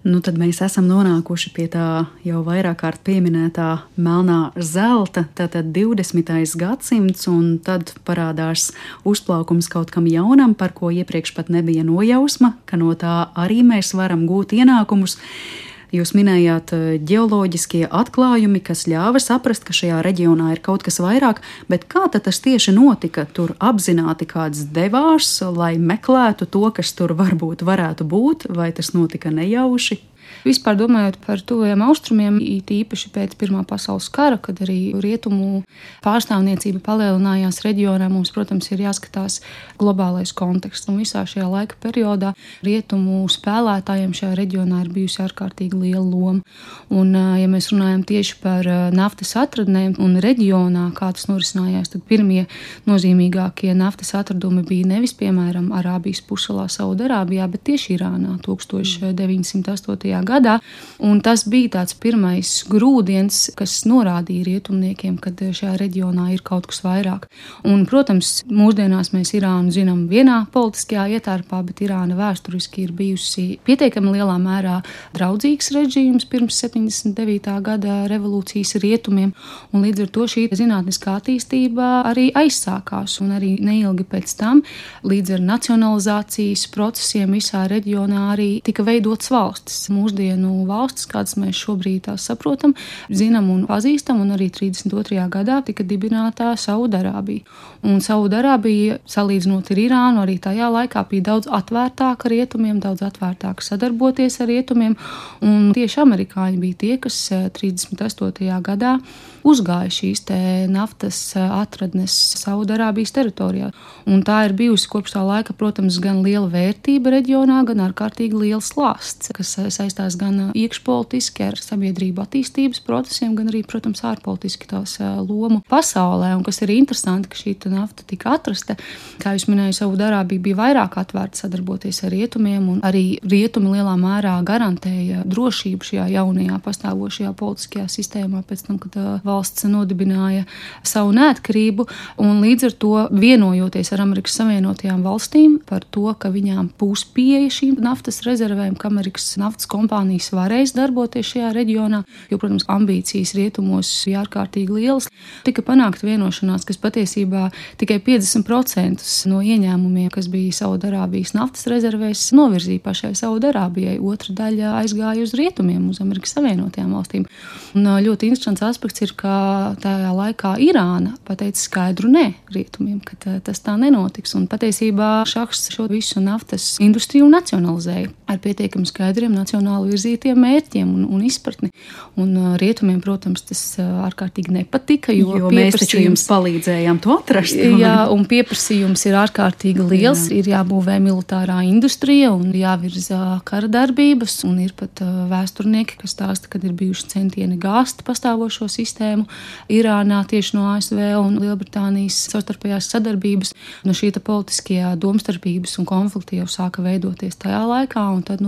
Nu, tad mēs esam nonākuši pie tā jau vairāk kārt pieminētā melnā zelta, tātad 20. gadsimts, un tad parādās uzplaukums kaut kam jaunam, par ko iepriekš pat nebija nojausma, ka no tā arī mēs varam gūt ienākumus. Jūs minējāt ģeoloģiskie atklājumi, kas ļāva saprast, ka šajā reģionā ir kaut kas vairāk, bet kā tad tas tieši notika? Tur apzināti kāds devās, lai meklētu to, kas tur varbūt varētu būt, vai tas notika nejauši? Vispār domājot par tuvajiem austrumiem, īpaši pēc Pirmā pasaules kara, kad arī rietumu pārstāvniecība palielinājās reģionā, mums, protams, ir jāskatās globālais konteksts. Un visā šajā laika periodā rietumu spēlētājiem šajā reģionā ir bijusi ārkārtīgi liela loma. Un, ja mēs runājam tieši par naftas atradnēm un reģionā, kā tas norisinājās, tad pirmie nozīmīgākie naftas atradumi bija nevis, piemēram, Arābijas pussalā Saudarābijā, bet tieši Irānā 1908. gadā, un tas bija tāds pirmais grūdienis, kas norādīja rietumniekiem, ka šajā reģionā ir kaut kas vairāk. Un, protams, mūsdienās mēs Irānu zinām vienā politiskajā ietērpā, bet Irāna vēsturiski ir bijusi pietiekami lielā mērā draudzīgs režīms pirms 79. gada revolūcijas rietumiem, un līdz ar to šī zinātniskā attīstība arī aizsākās, un arī neilgi pēc tam, līdz ar nacionalizācijas procesiem visā reģionā arī tika veidotas valstis. Mūsdienu valstis, kādas mēs šobrīd tās saprotam, zinām un pazīstam, un arī 32. gadā tika dibinātā Saudarābija. Un Saudarābija, salīdzinot ar Irānu, arī tajā laikā bija daudz atvērtāka rietumiem, daudz atvērtāka sadarboties ar rietumiem, un tieši amerikāņi bija tie, kas 38. gadā uzgāja šīs naftas atradnes Saudarābijas teritorijā. Un tā ir bijusi kopš tā laika, protams, gan liela vērtība reģionā, gan ārkārtīgi liels klāsts, kas saistās gan iekšpolitiski ar sabiedrību attīstības procesiem, gan arī, protams, ārpolitiski tās lomu pasaulē. Un kas ir interesanti, ka šī nafta tika atrasta, kā jūs minēju, Saudarābija bija vairāk atvērta sadarboties ar rietumiem, un arī rietumi lielā mērā garantēja drošību šajā jaunajā pastāvošajā politiskajā sistēmā pēc tam, kad valsts nodibināja savu neatkarību, un līdz ar to vienojoties ar Amerikas Savienotajām valstīm par to, ka viņām būs pieeja šīm naftas rezervēm, ka Amerikas naftas kompānijas varēs darboties šajā reģionā, jo, protams, ambīcijas rietumos bija ārkārtīgi lielas. Tika panākta vienošanās, kas patiesībā tikai 50% no ieņēmumiem, kas bija Saudarābijas naftas rezervēs, novirzīja pašai Saudarābijai. Otra daļa aizgāja uz rietumiem, uz Amerikas Savienotajām valstīm. Un ļoti interesants aspekts ir, ka tajā laikā Irāna pateica skaidru nē rietumiem, ka tas tā nenotiks. Un patiesībā šahs šo visu naftas industriju nacionalizēja ar pietiekami skaidriem nacionāli virzītiem mērķiem un izpratni. Un rietumiem, protams, tas ārkārtīgi nepatika, jo mēs taču jums palīdzējām to atrast. Jā, un pieprasījums ir ārkārtīgi liels, ir jābūvē militārā industrija un jāvirza kara darbības, un ir pat vēsturnieki, kas stāsta, kad ir bijuši centieni gāzt pastāvošo sistēmu, problēmu Irānā tieši no ASV un Lielbritānijas savstarpējās sadarbības. Šī politiskajā domstarpības un konflikti jau sāka veidoties tajā laikā, un tad,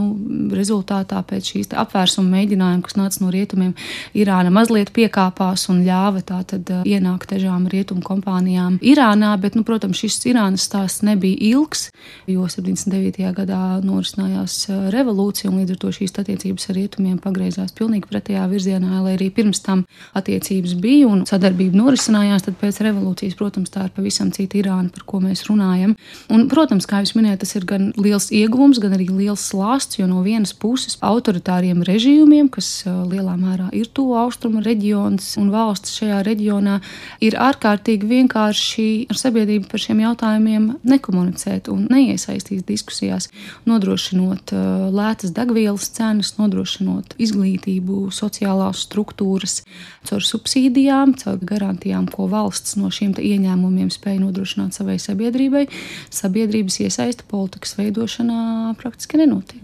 rezultātā pēc šīs apvērsuma mēģinājuma, kas nāca no rietumiem, Irāna mazliet piekāpās un ļāva tātad ienākt dažām rietumu kompānijām Irānā, bet, protams, šis Irānas stāsts nebija ilgs, jo 79. gadā norisinājās revolūcija, un līdz ar to šīs attiecības ar rietumiem pagriezās pilnīgi pretējā virzienā, lai arī pirms tam attiecības bija un sadarbība norisinājās, tad pēc revolūcijas, protams, tā ir pavisam cita Irāna, par ko mēs runājam. Un, protams, kā jūs minējat, tas ir gan liels ieguvums, gan arī liels slāsts, jo no vienas puses autoritāriem režīmiem, kas lielā mērā ir tuvu austrumu reģions un valsts šajā reģionā, ir ārkārtīgi vienkārši ar sabiedrību par šiem jautājumiem nekomunicēt un neiesaistīt diskusijās, nodrošinot lētas degvielas cenas, nodrošinot izglītību, sociālās struktūras, caur subsīdijām, caur garantijām, ko valsts no šiem ieņēmumiem spēja nodrošināt savai sabiedrībai. Sabiedrības iesaista politikas veidošanā praktiski nenotiek.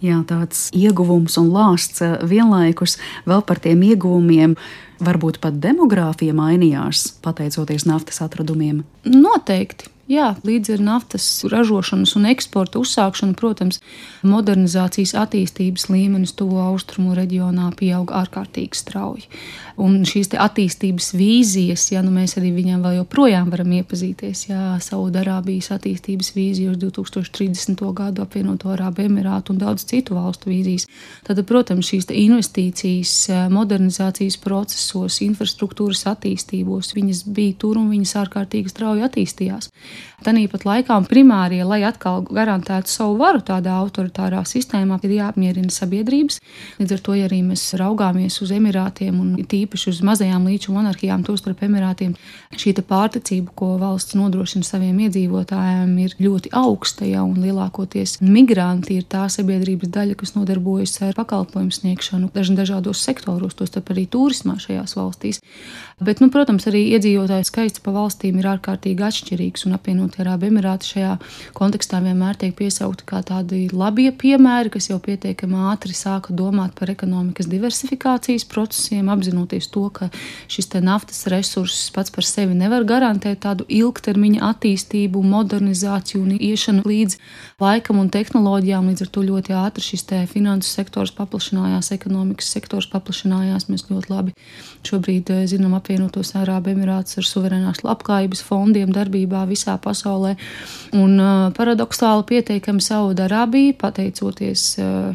Jā, tāds ieguvums un lāsts vienlaikus. Vēl par tiem ieguvumiem varbūt pat demogrāfija mainījās, pateicoties naftas atradumiem? Noteikti. Jā, līdz ar naftas ražošanas un eksporta uzsākšanu, protams, modernizācijas attīstības līmenis tuvo austrumu reģionā pieauga ārkārtīgi strauji. Un šīs attīstības vīzijas, mēs arī viņām vēl joprojām varam iepazīties, Saudarābijas attīstības vīzijas, 2030. gadu apvienoto Arābu Emirātu un daudz citu valstu vīzijas. Tad, protams, šīs investīcijas modernizācijas procesos, infrastruktūras attīstībos, viņas bija tur un viņas ārkārtīgi strauji attīstījās. Tāpat laikā primārie, lai atkal garantētu savu varu tādā autoritārā sistēmā, ir jāapmierina sabiedrības. Līdz ar to, ja arī mēs raugāmies uz Emirātiem un tīpaši uz mazajām līču monarhijām, tostarp Emirātiem, šī pārticība, ko valsts nodrošina saviem iedzīvotājiem, ir ļoti augsta, un lielākoties migranti ir tā sabiedrības daļa, kas nodarbojas ar pakalpojumu sniegšanu dažādos sektoros, tostarp arī turismā šajās valstīs. Bet, protams, arī iedzīvotāju skaits pa valstīm ir ārkārtīgi atšķirīgs, un apvienotie Arābu Emirāti šajā kontekstā vienmēr tiek piesaukti kā tādi labie piemēri, kas jau pietiekami ātri sāka domāt par ekonomikas diversifikācijas procesiem, apzinoties to, ka šis naftas resurss pats par sevi nevar garantēt tādu ilgtermiņa attīstību, modernizāciju un iešanu līdz laikam un tehnoloģijām. Līdz ar to ļoti ātri šis finansu sektors paplašinājās, ekonomikas sektors paplašinājās. Mēs ļoti labi šobrīd zinām apvienotos Arābu Emirātus ar suverēnās labklājības fondiem darbībā visā pasaulē. Un paradoksāli pieteikami Saudarābija, pateicoties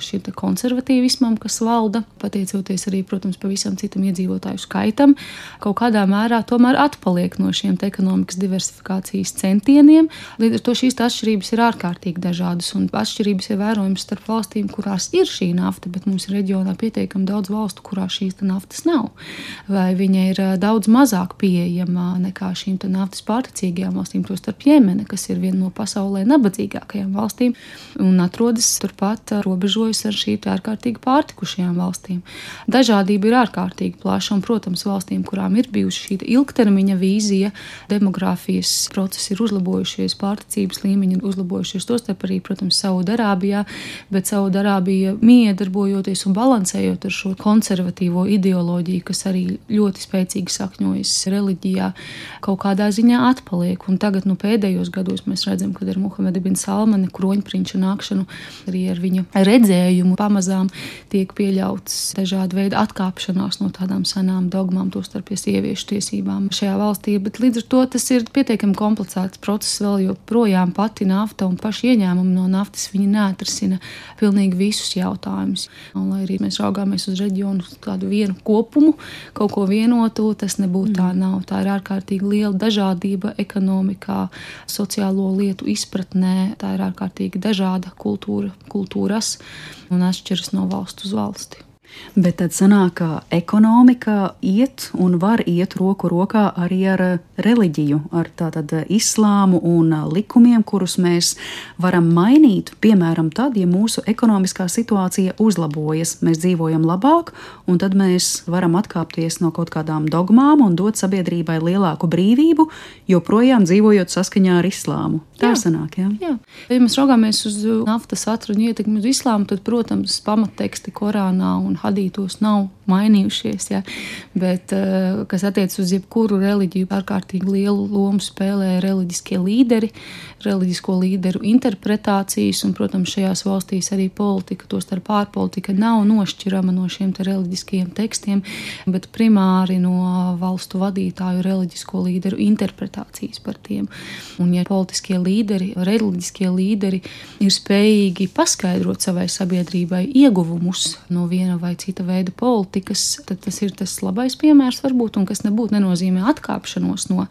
šim konservatīvismam, kas valda, pateicoties arī, protams, pavisam citam iedzīvotāju skaitam, kaut kādā mērā tomēr atpaliek no šiem ekonomikas diversifikācijas centieniem. Līdz ar to šīs atšķirības ir ārkārtīgi dažādas, un atšķirības ir vērojamas starp valstīm, kurās ir šī nafta, bet mums ir reģionā pietiekami daudz valstu, kurās šīs naftas nav. Vai viņa ir daudz mazāk pieejama nekā šīm naftas pārticīgajām valstīm, tostarp Jemene, kas ir viena no pasaulē nabadzīgākajām valstīm un atrodas turpat robežojas ar šīm ārkārtīgi pārtikušajām valstīm. Dažādība ir ārkārtīgi plaša, un, protams, valstīm, kurām ir bijusi šī ilgtermiņa vīzija, demogrāfijas procesi ir uzlabojušies, pārticības līmeņi ir uzlabojušies, tostarp arī, protams, Saudarābijā, bet Saudarābija miedarbojoties un balansējot ar šo konservatīvo ideoloģiju, kas arī ļoti spēcīgi sakņojas reliģijā, kaut kādā ziņā atpaliek. Un tagad, pēdējos gados mēs redzam, kad ar Muhameda bin Salmana kroņprinča nākšanu, arī ar viņa redzējumu pamazām tiek pieļauts dažāda veida atkāpšanās no tādām senām dogmām, tostarp sieviešu tiesībām šajā valstī. Bet līdz ar to tas ir pietiekami komplicēts process, vēl joprojām pati nafta un paši ieņēmumi no naftas viņi neatrisina pilnīgi visus jautājumus. Un, lai arī mēs raugāmies uz reģionu tādu vienu kopumu, kaut ko vienotu, tas nebūtu tā nav. Tā ir ārkārtīgi liela dažādība ekonomikā, sociālo lietu izpratnē. Tā ir ārkārtīgi dažāda kultūras un atšķiras no valsts uz valsti. Bet tad sanāk, ka ekonomika iet un var iet roku rokā arī ar reliģiju, ar tātad islāmu un likumiem, kurus mēs varam mainīt, piemēram, tad, ja mūsu ekonomiskā situācija uzlabojas, mēs dzīvojam labāk, un tad mēs varam atkāpties no kaut kādām dogmām un dot sabiedrībai lielāku brīvību, joprojām dzīvojot saskaņā ar islāmu. Tā sanāk, jā? Jā. Ja mēs raugāmies uz naftas atradu ietekmi uz islāmu, tad, protams, pamatteksti Korānā un hadītos nav mainījušies, ja. Bet, kas attiec uz jebkuru reliģiju, ārkārtīgi lielu lomu spēlē reliģiskie līderi, reliģisko līderu interpretācijas, un, protams, šajās valstīs arī politika, tostarp ārpolitika, nav nošķirama no šiem te reliģiskajiem tekstiem, bet primāri no valstu vadītāju reliģisko līderu interpretācijas par tiem. Un, ja politiskie līderi, reliģiskie līderi ir spējīgi paskaidrot savai sabiedrībai ieguvumus no viena vai cita veida politikas, tad tas ir tas labais piemērs varbūt, un kas nenozīmē atkāpšanos no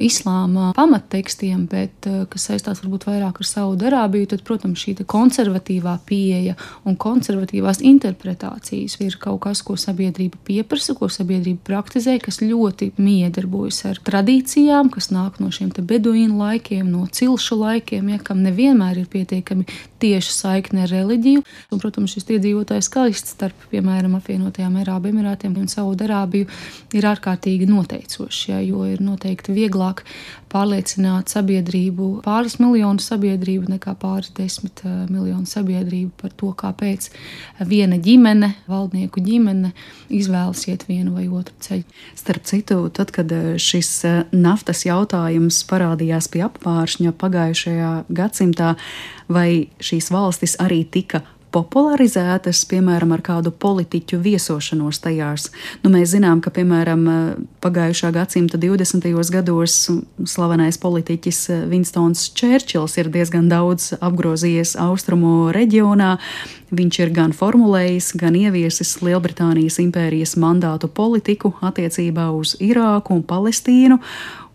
islāma pamattekstiem, bet kas saistās varbūt vairāk ar Saudarābiju, tad, protams, šī konservatīvā pieeja un konservatīvās interpretācijas ir kaut kas, ko sabiedrība pieprasa, ko sabiedrība praktizē, kas ļoti miedarbojas ar tradīcijām, kas nāk no šiem te beduīnu laikiem, no cilšu laikiem, ja, kam nevienmēr ir pietiekami tieši saikne ar reliģiju. Un, protams, šis iedzīvotājs skaists starp, piemēram, apvienotajām Arābu Emirātiem un Saudarābiju ir ārkārtīgi noteicošs, ja, jo ir noteikti vieglāk pārliecināt sabiedrību, pāris miljonu sabiedrību, nekā pāris 10 miljonu sabiedrību par to, kāpēc viena ģimene, valdnieku ģimene, izvēlas iet vienu vai otru ceļu. Starp citu, tad, kad šis naftas jautājums parādījās pie apvāršņa pagājušajā gadsimtā, vai šīs valstis arī tika popularizētas, piemēram, ar kādu politiķu viesošanos tajās. Mēs zinām, ka, piemēram, pagājušā gadsimta 20. gados slavenais politiķis Winstons Čērčils ir diezgan daudz apgrozījies austrumu reģionā. Viņš ir gan formulējis, gan ieviesis Lielbritānijas impērijas mandātu politiku attiecībā uz Irāku un Palestīnu,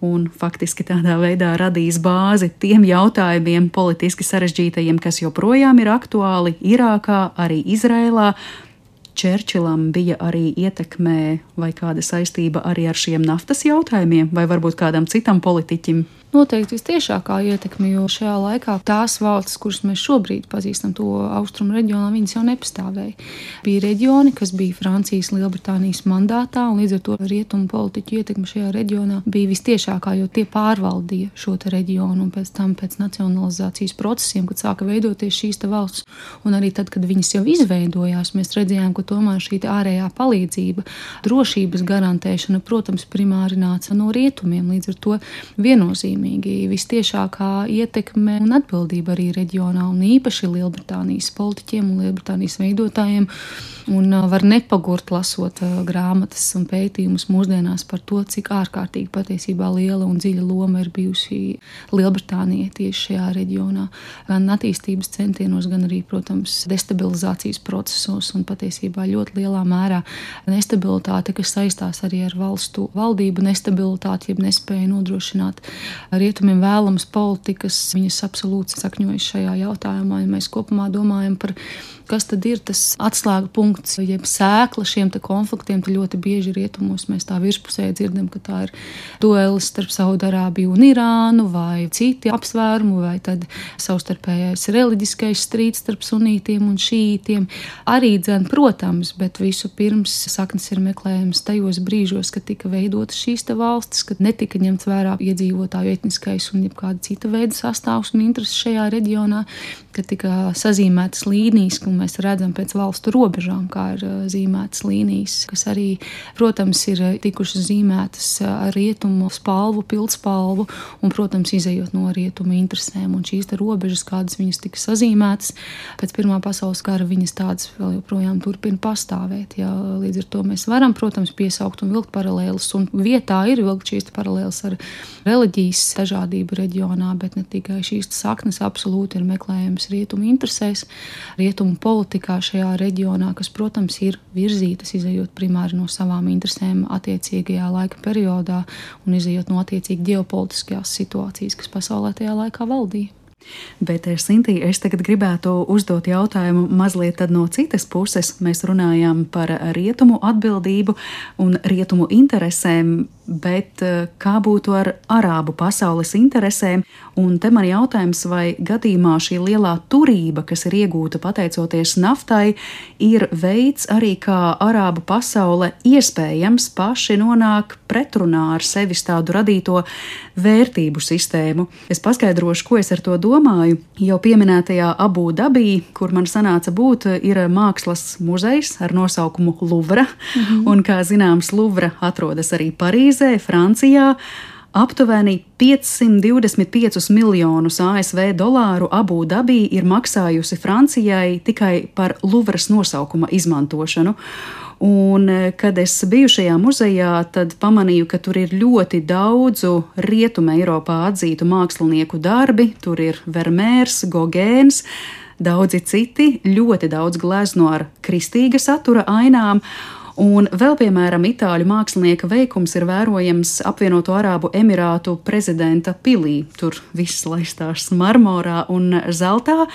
un faktiski tādā veidā radīs bāzi tiem jautājumiem politiski sarežģītajiem, kas joprojām ir aktuāli Irākā, arī Izrēlā. Čērčilam bija arī ietekmē vai kāda saistība arī ar šiem naftas jautājumiem, vai varbūt kādam citam politiķim? Noteikti vistiešākā ietekme, jo šajā laikā tās valstis, kuras mēs šobrīd pazīstam to austrumu reģionā, viņas jau nepastāvēja. Bija reģioni, kas bija Francijas, Lielbritānijas mandātā, un līdz ar to rietumu politiķu ietekme šajā reģionā bija vistiešākā, jo tie pārvaldīja šo te reģionu, un pēc tam pēc nacionalizācijas procesiem, kad sāka veidoties šīs te valsts, un arī tad, kad viņas jau izveidojās, mēs redzējām, ka tomēr šī te ārējā palīdzība, drošības garantēšana, protams, primāri nāca no rietumiem, līdz ar to viennozīmīgi vistiešākā ietekme un atbildība arī reģionā, un īpaši Lielbritānijas politiķiem un Lielbritānijas veidotājiem, un var nepagurt lasot grāmatas un pētījumus mūsdienās par to, cik ārkārtīgi patiesībā liela un dziļa loma ir bijusi Lielbritānijai tieši šajā reģionā, gan attīstības centienos, gan arī, protams, destabilizācijas procesos, un patiesībā ļoti lielā mērā nestabilitāte, kas saistās arī ar valstu valdību nestabilitāti, jeb nespēja nodrošināt rietumiem vēlamas politikas, viņas absolūti sakņojas šajā jautājumā, ja mēs kopumā domājam par kas tad ir tas atslēga punkts, jeb sēkla šiem te konfliktiem, tad ļoti bieži rietumos mēs tā virspusē dzirdam, ka tā ir duelis starp Saudarābiju un Irānu, vai citi apsvērumi, vai tad savstarpējais reliģiskais strīds starp sunītiem un šītiem. Arī dzen, protams, bet visu pirms saknes ir meklējums tajos brīžos, kad tika veidotas šīs te valstis, kad netika ņemts vērā iedzīvotāju etniskais un jebkāda cita veida sastāvs un intereses šajā reģionā, kad tika sazīmētas līnijas, un mēs redzam pēc valstu robežām, kā ir zīmētas līnijas, kas arī, protams, ir tikušas zīmētas ar rietumu spalvu, pildspalvu, un, protams, izejot no rietumu interesēm. Un šīs te robežas, kādas viņas tika sazīmētas, pēc Pirmā pasaules kara viņas tādas vēl joprojām turpina pastāvēt. Ja, līdz ar to mēs varam, protams, piesaukt un vilkt paralēlus, un vietā ir vilkt šīs paralēlas ar reliģijas dažādību reģionā, bet ne tikai šīs saknes absolūti ir meklējums rietumu interesēs, rietumu politikā šajā reģionā, kas, protams, ir virzītas, izejot primāri no savām interesēm attiecīgajā laika periodā un izejot no attiecīgi ģeopolitiskajās situācijas, kas pasaulē tajā laikā valdīja. Bet, Sintī, es tagad gribētu uzdot jautājumu mazliet no citas puses. Mēs runājām par rietumu atbildību un rietumu interesēm. bet kā būtu ar arābu pasaules interesēm? Un te man jautājums, vai gadījumā šī lielā turība, kas ir iegūta pateicoties naftai, ir veids arī, kā arābu pasaule iespējams paši nonāk pretrunā ar sevis tādu radīto vērtību sistēmu. Es paskaidrošu, ko es ar to domāju. Jau pieminētajā Abu Dabī, kur man sanāca būt, ir mākslas muzejs ar nosaukumu Luvra. Un, kā zināms, Luvra atrodas arī Parīzē, Francijā. Aptuveni 525 miljonus ASV dolāru Abu Dabī ir maksājusi Francijai tikai par Luvras nosaukuma izmantošanu. Un, kad es biju šajā muzejā, tad pamanīju, ka tur ir ļoti daudzu Rietuma Eiropā atzītu mākslinieku darbi. Tur ir Vermeers, Gogēns, daudzi citi, ļoti daudz glezno ar kristīga satura ainām. Un vēl, piemēram, itāļu mākslinieka veikums ir vērojams Apvienoto Arābu Emirātu prezidenta pilī. Tur viss laistās marmorā un zeltā.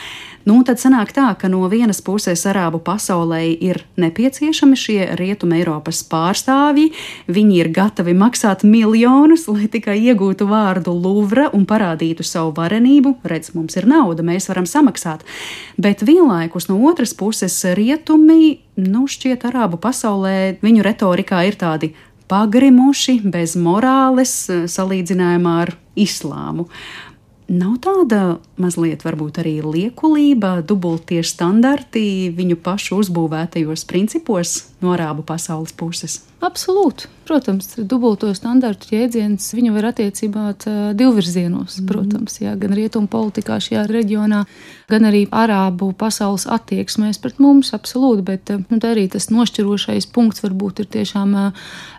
Nu, tad sanāk tā, ka no vienas puses arābu pasaulē ir nepieciešami šie Rietuma Eiropas pārstāvji. Viņi ir gatavi maksāt miljonus, lai tikai iegūtu vārdu Luvra un parādītu savu varenību. Redz, mums ir nauda, mēs varam samaksāt. Bet vienlaikus no otras puses rietumi, šķiet arābu pasaulē, viņu retorikā ir tādi pagrimuši, bez morāles, salīdzinājumā ar islāmu. Nav tāda mazliet varbūt arī liekulība, dubultie standarti viņu pašu uzbūvētajos principos no arābu pasaules puses? Absolūti. Protams, dubulto standartu jēdziens viņu var attiecināt divvirzienos, protams, jā, gan rietumu politikā šajā reģionā, gan arī arābu pasaules attieksmēs pret mums, absolūti, bet arī tas nošķirošais punkts varbūt ir tiešām,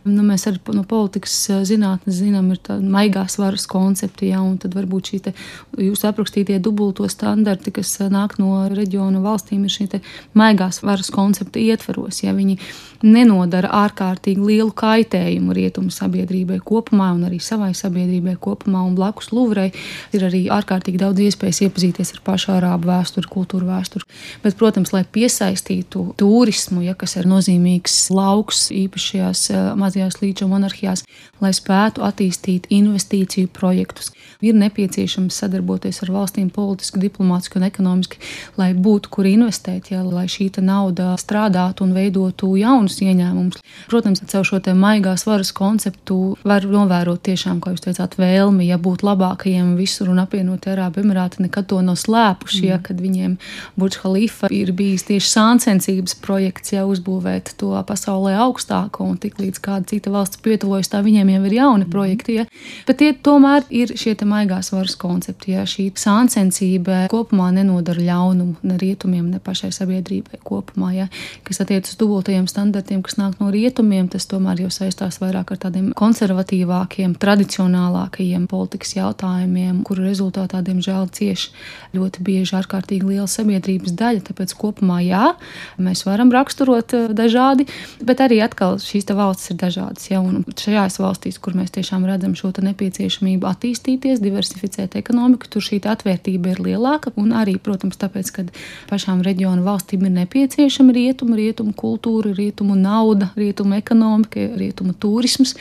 mēs arī no politikas zinātnes zinām, ir tā maigās varas koncepti, jā, un tad varbūt šī te jūs aprakstītie dubulto standarti, kas nāk no reģionu valstīm, ir šī te maigās varas koncepta ietvaros, ja viņi nenodara ārkārtīgi lielu kaitējumu rietumu sabiedrībai kopumā un arī savai sabiedrībai kopumā, un blakus Luvrai ir arī ārkārtīgi daudz iespējas iepazīties ar pašu arābu vēsturi, kultūru vēsturi. Bet, protams, lai piesaistītu turismu, ja, kas ir nozīmīgs lauks īpašajās mazajās līča monarhijās, lai spētu attīstīt investīciju projektus, ir nepieciešams sadarboties ar valstīm politiski, diplomātiski un ekonomiski, lai būtu, kur investēt, ja, lai šī nauda strādātu un veidotu jaunus ieņēmumus. Protams, caur šo te maigās varas konceptu var novērot tiešām, kā jūs teicāt, vēlmi, ja būt labākajiem visur, un apvienotie Arābu Emirāti nekad to nav slēpuši, ja, kad viņiem Burj Khalifa ir bijis tieši sāncensības projekts, ja, uzbūvēt to pasaulē augstāko, un tik līdz kāda cita valsts pietuvojas, tā viņiem jau ir jauni projekti, ja. Bet tie tomēr ir šie te maigās varas koncepti, ja šī sāncensība kopumā nenodara ļaunumu ne rietumiem, ne pašai sabiedrībai kopumā, ja, kas attiec uz dubultajiem standartiem, kas nāk no rietumiem, tas tomēr jau saistās vairāk ar tādiem konservatīvākiem, tradicionālākajiem politikas jautājumiem, kuru rezultātā, diemžēl, cieši ļoti bieži ārkārtīgi liela sabiedrības daļa, tāpēc kopumā jā, mēs varam raksturot dažādi, bet arī atkal šīs te valstis ir dažādas, ja, un šajās valstīs, kur mēs tiešām redzam šo te nepieciešamību attīstīties, diversificēt ekonomiku, tur šī atvērtība ir lielāka, un arī, protams, tāpēc, ka pašām reģionu valstīm ir nepieciešama rietumu kultūra, rietumu nauda, rietumu ekonomika, rietumu turisms,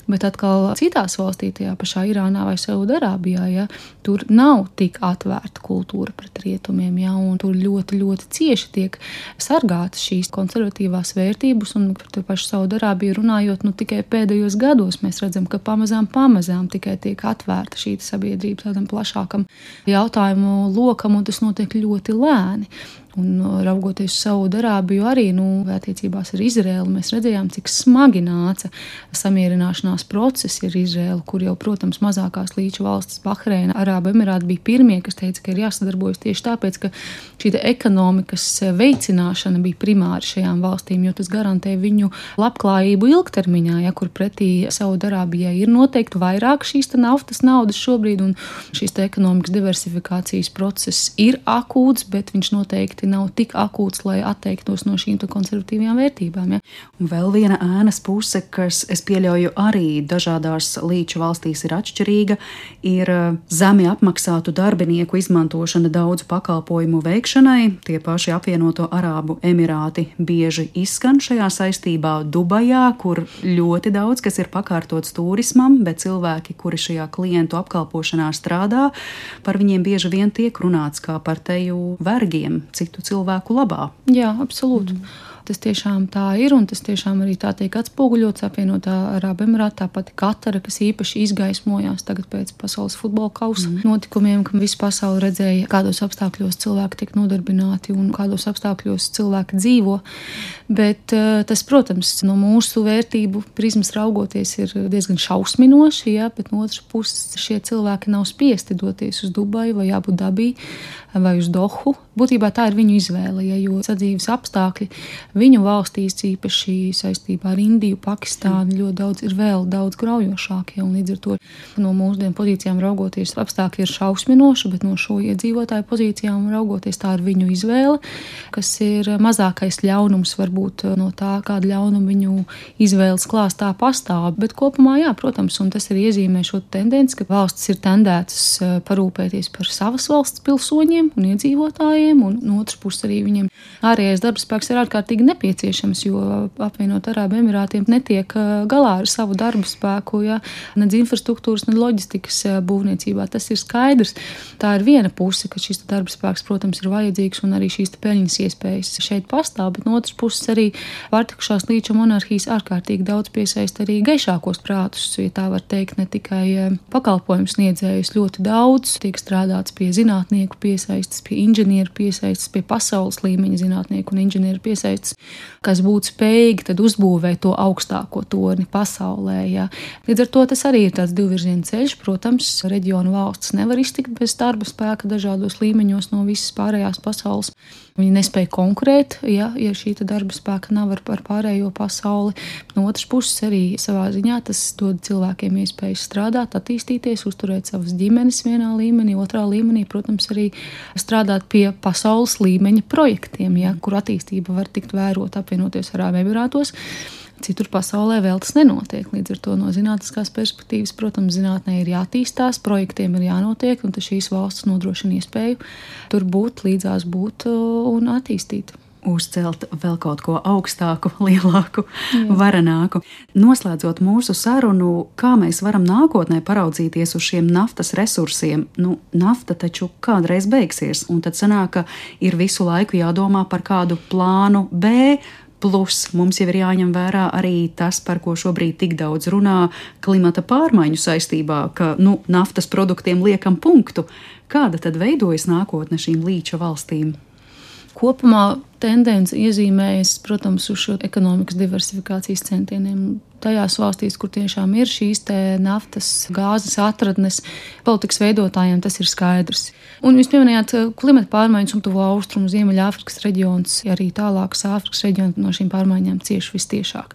bet atkal citās valstī, tajā pašā Irānā vai Saudarābijā, ja, tur nav tik atvērta kultūra pret rietumiem, ja, un tur ļoti, ļoti cieši tiek sargātas šīs konservatīvās vērtības, un par to pašu Saudarābiju runājot, tikai pēdējos gados mēs redzam, ka pamazām tikai tiek atvērta šī sabiedrība tādam plašākam jautājumu lokam, un tas notiek ļoti lēni. Un raugoties uz Saudarābiju arī, attiecībās ar Izraēlu, mēs redzējām, cik smagi nāca samierināšanās procesi ar Izraēlu, kur jau, protams, mazākās līča valstis Bahreina, Arābu Emirāti bija pirmie, kas teica, ka ir jāsadarbojas tieši tāpēc, ka šī ekonomikas veicināšana bija primāri šajām valstīm, jo tas garantē viņu labklājību ilgtermiņā, ja, kur pretī Saudarābijai ir noteikti vairāk šīs naftas naudas šobrīd, un šīs ekonomikas diversifikācijas process ir akūts, bet viņš noteikti nav tik akūts, lai atteiktos no šīm konservatīvajām vērtībām. Ja? Un vēl viena ēnas puse, kas, es pieļauju, arī arī dažādās līča valstīs ir atšķirīga. Ir zemi apmaksātu darbinieku izmantošana daudzu pakalpojumu veikšanai. Tie paši apvienoto Arābu Emirāti bieži izskan šajā saistībā. Dubajā, kur ļoti daudz kas ir pakārtots turismam, bet cilvēki, kuri šajā klientu apkalpošanā strādā, par viņiem bieži vien tiek runāts kā par teju vergiem citu cilvēku labā. Jā, absolūti. Tas tiešām tā ir, un tas tiešām arī tā tiek atspoguļots apvienotā Arābu Emirāti, tāpat Katara, kas īpaši izgaismojās tagad pēc pasaules futbola kausa notikumiem, ka visa pasaule redzēja, kādos apstākļos cilvēki tiek nodarbināti un kādos apstākļos cilvēki dzīvo. Bet tas, protams, no mūsu vērtību prizmas raugoties ir diezgan šausminoši, ja, bet no otras puses šie cilvēki nav spiesti doties uz Dubaju vai Abu Dabī vai uz Dohu. Būtībā tā ir viņu izvēle, ja, jo sadzīves apstākļi viņu valstīs, īpaši saistībā ar Indiju, Pakistānu, ļoti daudz graujošākie, un līdz ar to no mūsdienu pozīcijām raugoties apstākļi ir šausminoši, bet no šo iedzīvotāju pozīcijām raugoties tā ir viņu izvēle, kas ir mazākais ļaunums varbūt no tā, kāda ļaunuma viņu izvēles klāstā pastāv, bet kopumā jā, protams, un tas arī iezīmē šo tendenci, ka valstis ir tendētas parūpēties par savas valsts pilsoņiem un iedzīvotājiem, un no otras puses arī viņiem ārējais darbspēks ir ārkārtīgi nepieciešams, jo apvienot Arābu Emirātiem netiek galā ar savu darba spēku, ja, nedz infrastruktūras, nedz loģistikas būvniecībā. Tas ir skaidrs. Tā ir viena puse, ka šis darba spēks, protams, ir vajadzīgs un arī šīs peļņas iespējas šeit pastāv, bet no otras puses arī pārtikušās līča monarhijas ārkārtīgi daudz piesaista arī gaišākos prātus, ja tā var teikt, ne tikai pakalpojumu sniedzējus, ļoti daudz tiek strādāts pie zinātnieku piesaistas, pie inženieru piesaistas, pie pasaules līmeņa zinātnieku un inženieru piesaistas, kas būtu spējīgi tad uzbūvēt to augstāko torni pasaulē. Ja. Līdz ar to tas arī ir tāds divvirziena ceļš. Protams, reģionu valsts nevar iztikt bez darba spēka dažādos līmeņos no visas pārējās pasaules. Viņi nespēja konkurēt, ja šī darba spēka nav ar pārējo pasauli. No otras puses arī savā ziņā tas dod cilvēkiem iespēju strādāt, attīstīties, uzturēt savas ģimenes vienā līmenī, otrā līmenī, protams, arī strādāt pie pasaules līmeņa projektiem, ja, kur attīstība var tikt vērot apvienoties Arābu Emirātos. Citur pasaulē vēl tas nenotiek. Līdz ar to no zinātniskās perspektīvas, protams, zinātnē ir jātīstās, projektiem ir jānotiek, un šīs valsts nodrošina iespēju tur būt, līdzās būt un attīstīt. Uzcelt vēl kaut ko augstāku, lielāku, varenāku. Noslēdzot mūsu sarunu, kā mēs varam nākotnē paraudzīties uz šiem naftas resursiem? Nafta taču kādreiz beigsies, un tad sanāk, ka ir visu laiku jādomā par kādu plānu B, plus mums jau ir jāņem vērā arī tas, par ko šobrīd tik daudz runā klimata pārmaiņu saistībā, ka naftas produktiem liekam punktu. Kāda tad veidojas nākotne šīm līča valstīm? Kopumā tendence iezīmējas, protams, uz šo ekonomikas diversifikācijas centieniem. Tajās valstīs, kur tiešām ir šīs te naftas, gāzes atradnes, politikas veidotājiem tas ir skaidrs. Un jūs pieminējāt klimata pārmaiņas un tuvo austrumu Ziemeļāfrikas reģions, arī tālākas Āfrikas reģioni no šīm pārmaiņām cieši vistiešāk.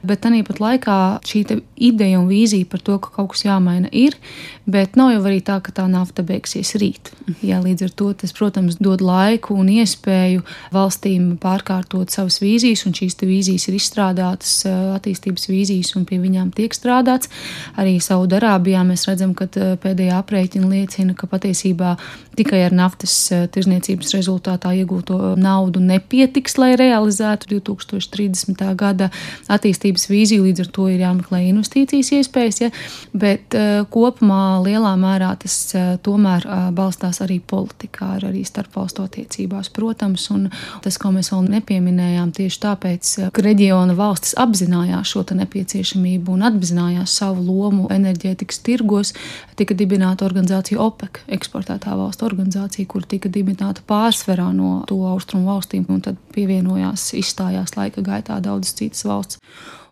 Bet tāpat laikā šī ideja un vīzija par to, ka kaut kas jāmaina ir, bet nav jau arī tā, ka tā nafta beigsies rīt. Jā, līdz ar to tas, protams, dod laiku un iespēju valstīm pārkārtot savas vīzijas, un šīs vīzijas ir izstrādātas attīstības vīzijas, un pie viņām tiek strādāts. Arī Saudarābijā mēs redzam, ka pēdējā aprēķina liecina, ka patiesībā tikai ar naftas tirzniecības rezultātā iegūto naudu nepietiks, lai realizētu 2030. gada attīstības vīziju, līdz ar to ir jāmeklē investīcijas iespējas, ja? Bet kopumā lielā mērā tas tomēr balstās arī politikā, arī starpvalstu attiecībās, protams, un tas, ko mēs vēl nepieminējām, tieši tāpēc, ka reģiona valstis apzinājās šo nepieciešamību un apzinājās savu lomu enerģētikas tirgos, tika dibināta organizācija OPEC, eksportētā valstu organizācija, kur tika dibināta pārsvarā no to austrumu valstīm, un tad pievienojās, izstājās laika gaitā daudzas citas valsts.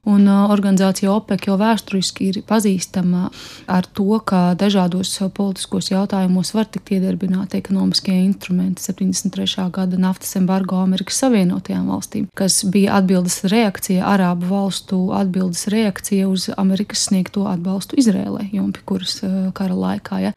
Un organizācija OPEC jau vēsturiski ir pazīstama ar to, ka dažādos politiskos jautājumos var tikt iedarbināti ekonomiskie instrumenti. 73. gada naftas embargo Amerikas Savienotajām valstīm, kas bija atbildes reakcija, Arābu valstu atbildes reakcija uz Amerikas sniegto atbalstu Izrēlai, jumpi kuras kara laikā. Ja.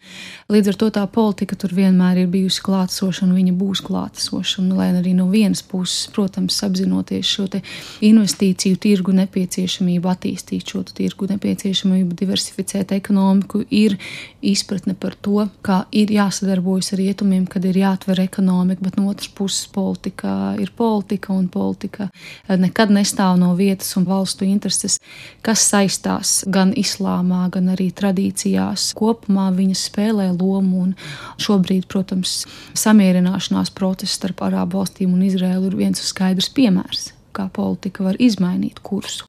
Līdz ar to tā politika tur vienmēr ir bijusi klātesoša un viņa būs klātesoša. Un, lai arī no vienas puses, protams, apzinoties šo te investīciju tirgu nepieciešamību nepieciešamību attīstīt šo tirgu, nepieciešamību diversificēt ekonomiku, ir izpratne par to, kā ir jāsadarbojas ar rietumiem, kad ir jāatver ekonomika, bet no otras puses politika ir politika, un politika nekad nestāv no vietas un valstu intereses, kas saistās gan islāmā, gan arī tradīcijās. Kopumā viņas spēlē lomu, un šobrīd, protams, samierināšanās process starp Arābu valstīm un Izraēlu ir viens skaidrs piemērs, kā politika var izmainīt kursu.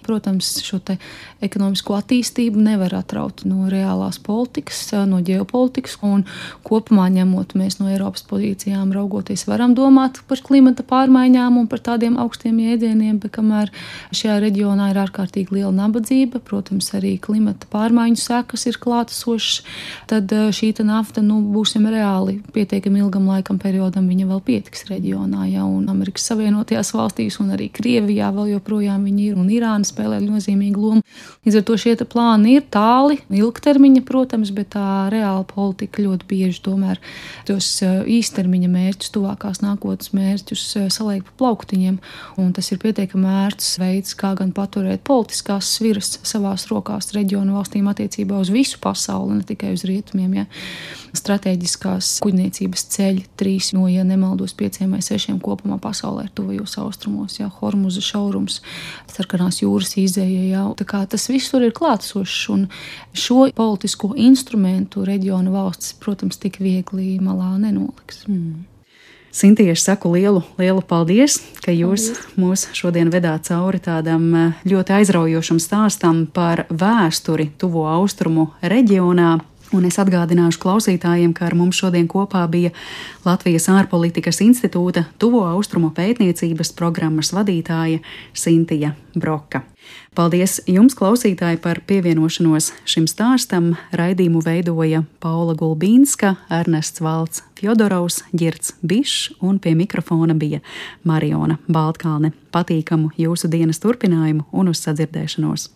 Protams, šo te ekonomisko attīstību nevar atraut no reālās politikas, no ģeopolitikas, un kopumā ņemot mēs no Eiropas pozīcijām raugoties varam domāt par klimata pārmaiņām un par tādiem augstiem jēdzieniem, bet kamēr šajā reģionā ir ārkārtīgi liela nabadzība, protams, arī klimata pārmaiņu sekas ir klātesošas, tad šī nafta, būsim reāli pietiekami ilgam laikam periodam, viņa vēl pietiks reģionā, ja, un Amerikas Savienotajās valstīs un arī Krievijā vēl joprojām viņi ir, un Irāna spēlē nozīmīgu lomu. Līdz ar to šie plāni ir tāli, ilgtermiņa, protams, bet tā reāla politika ļoti bieži tomēr tos īstermiņa mērķus, tuvākās nākotnes mērķus saliek pa plauktiņiem, un tas ir pietiekami ērts veids, kā gan paturēt politiskās sviras savās rokās reģionu valstīm attiecībā uz visu pasauli, ne tikai uz rietumiem, ja. Stratēģiskās kuģniecības ceļi 3 no, ja nemaldos, 5 vai 6 kopumā pasaulē ir tuvajos austrumos, ja, Hormuza šaurums, Sarkanās jūras izēja, ja. Tā kā tas viss tur ir klātsošs, un šo politisko instrumentu reģionu valstis, protams, tik viegli malā nenoliks. Sintija, es saku lielu paldies, ka jūs mūs šodien vedāt cauri tādam ļoti aizraujošam stāstam par vēsturi tuvo austrumu reģionā. Un es atgādināšu klausītājiem, ka ar mums šodien kopā bija Latvijas ārpolitikas institūta tuvo austrumu pētniecības programmas vadītāja Sintija Broka. Paldies jums, klausītāji, par pievienošanos šim stāstam. Raidījumu veidoja Paula Gulbīnska, Ernests Valts Fjodorovs, Girts Bišs, un pie mikrofona bija Mariona Baltkalne. Patīkamu jūsu dienas turpinājumu un uz sadzirdēšanos!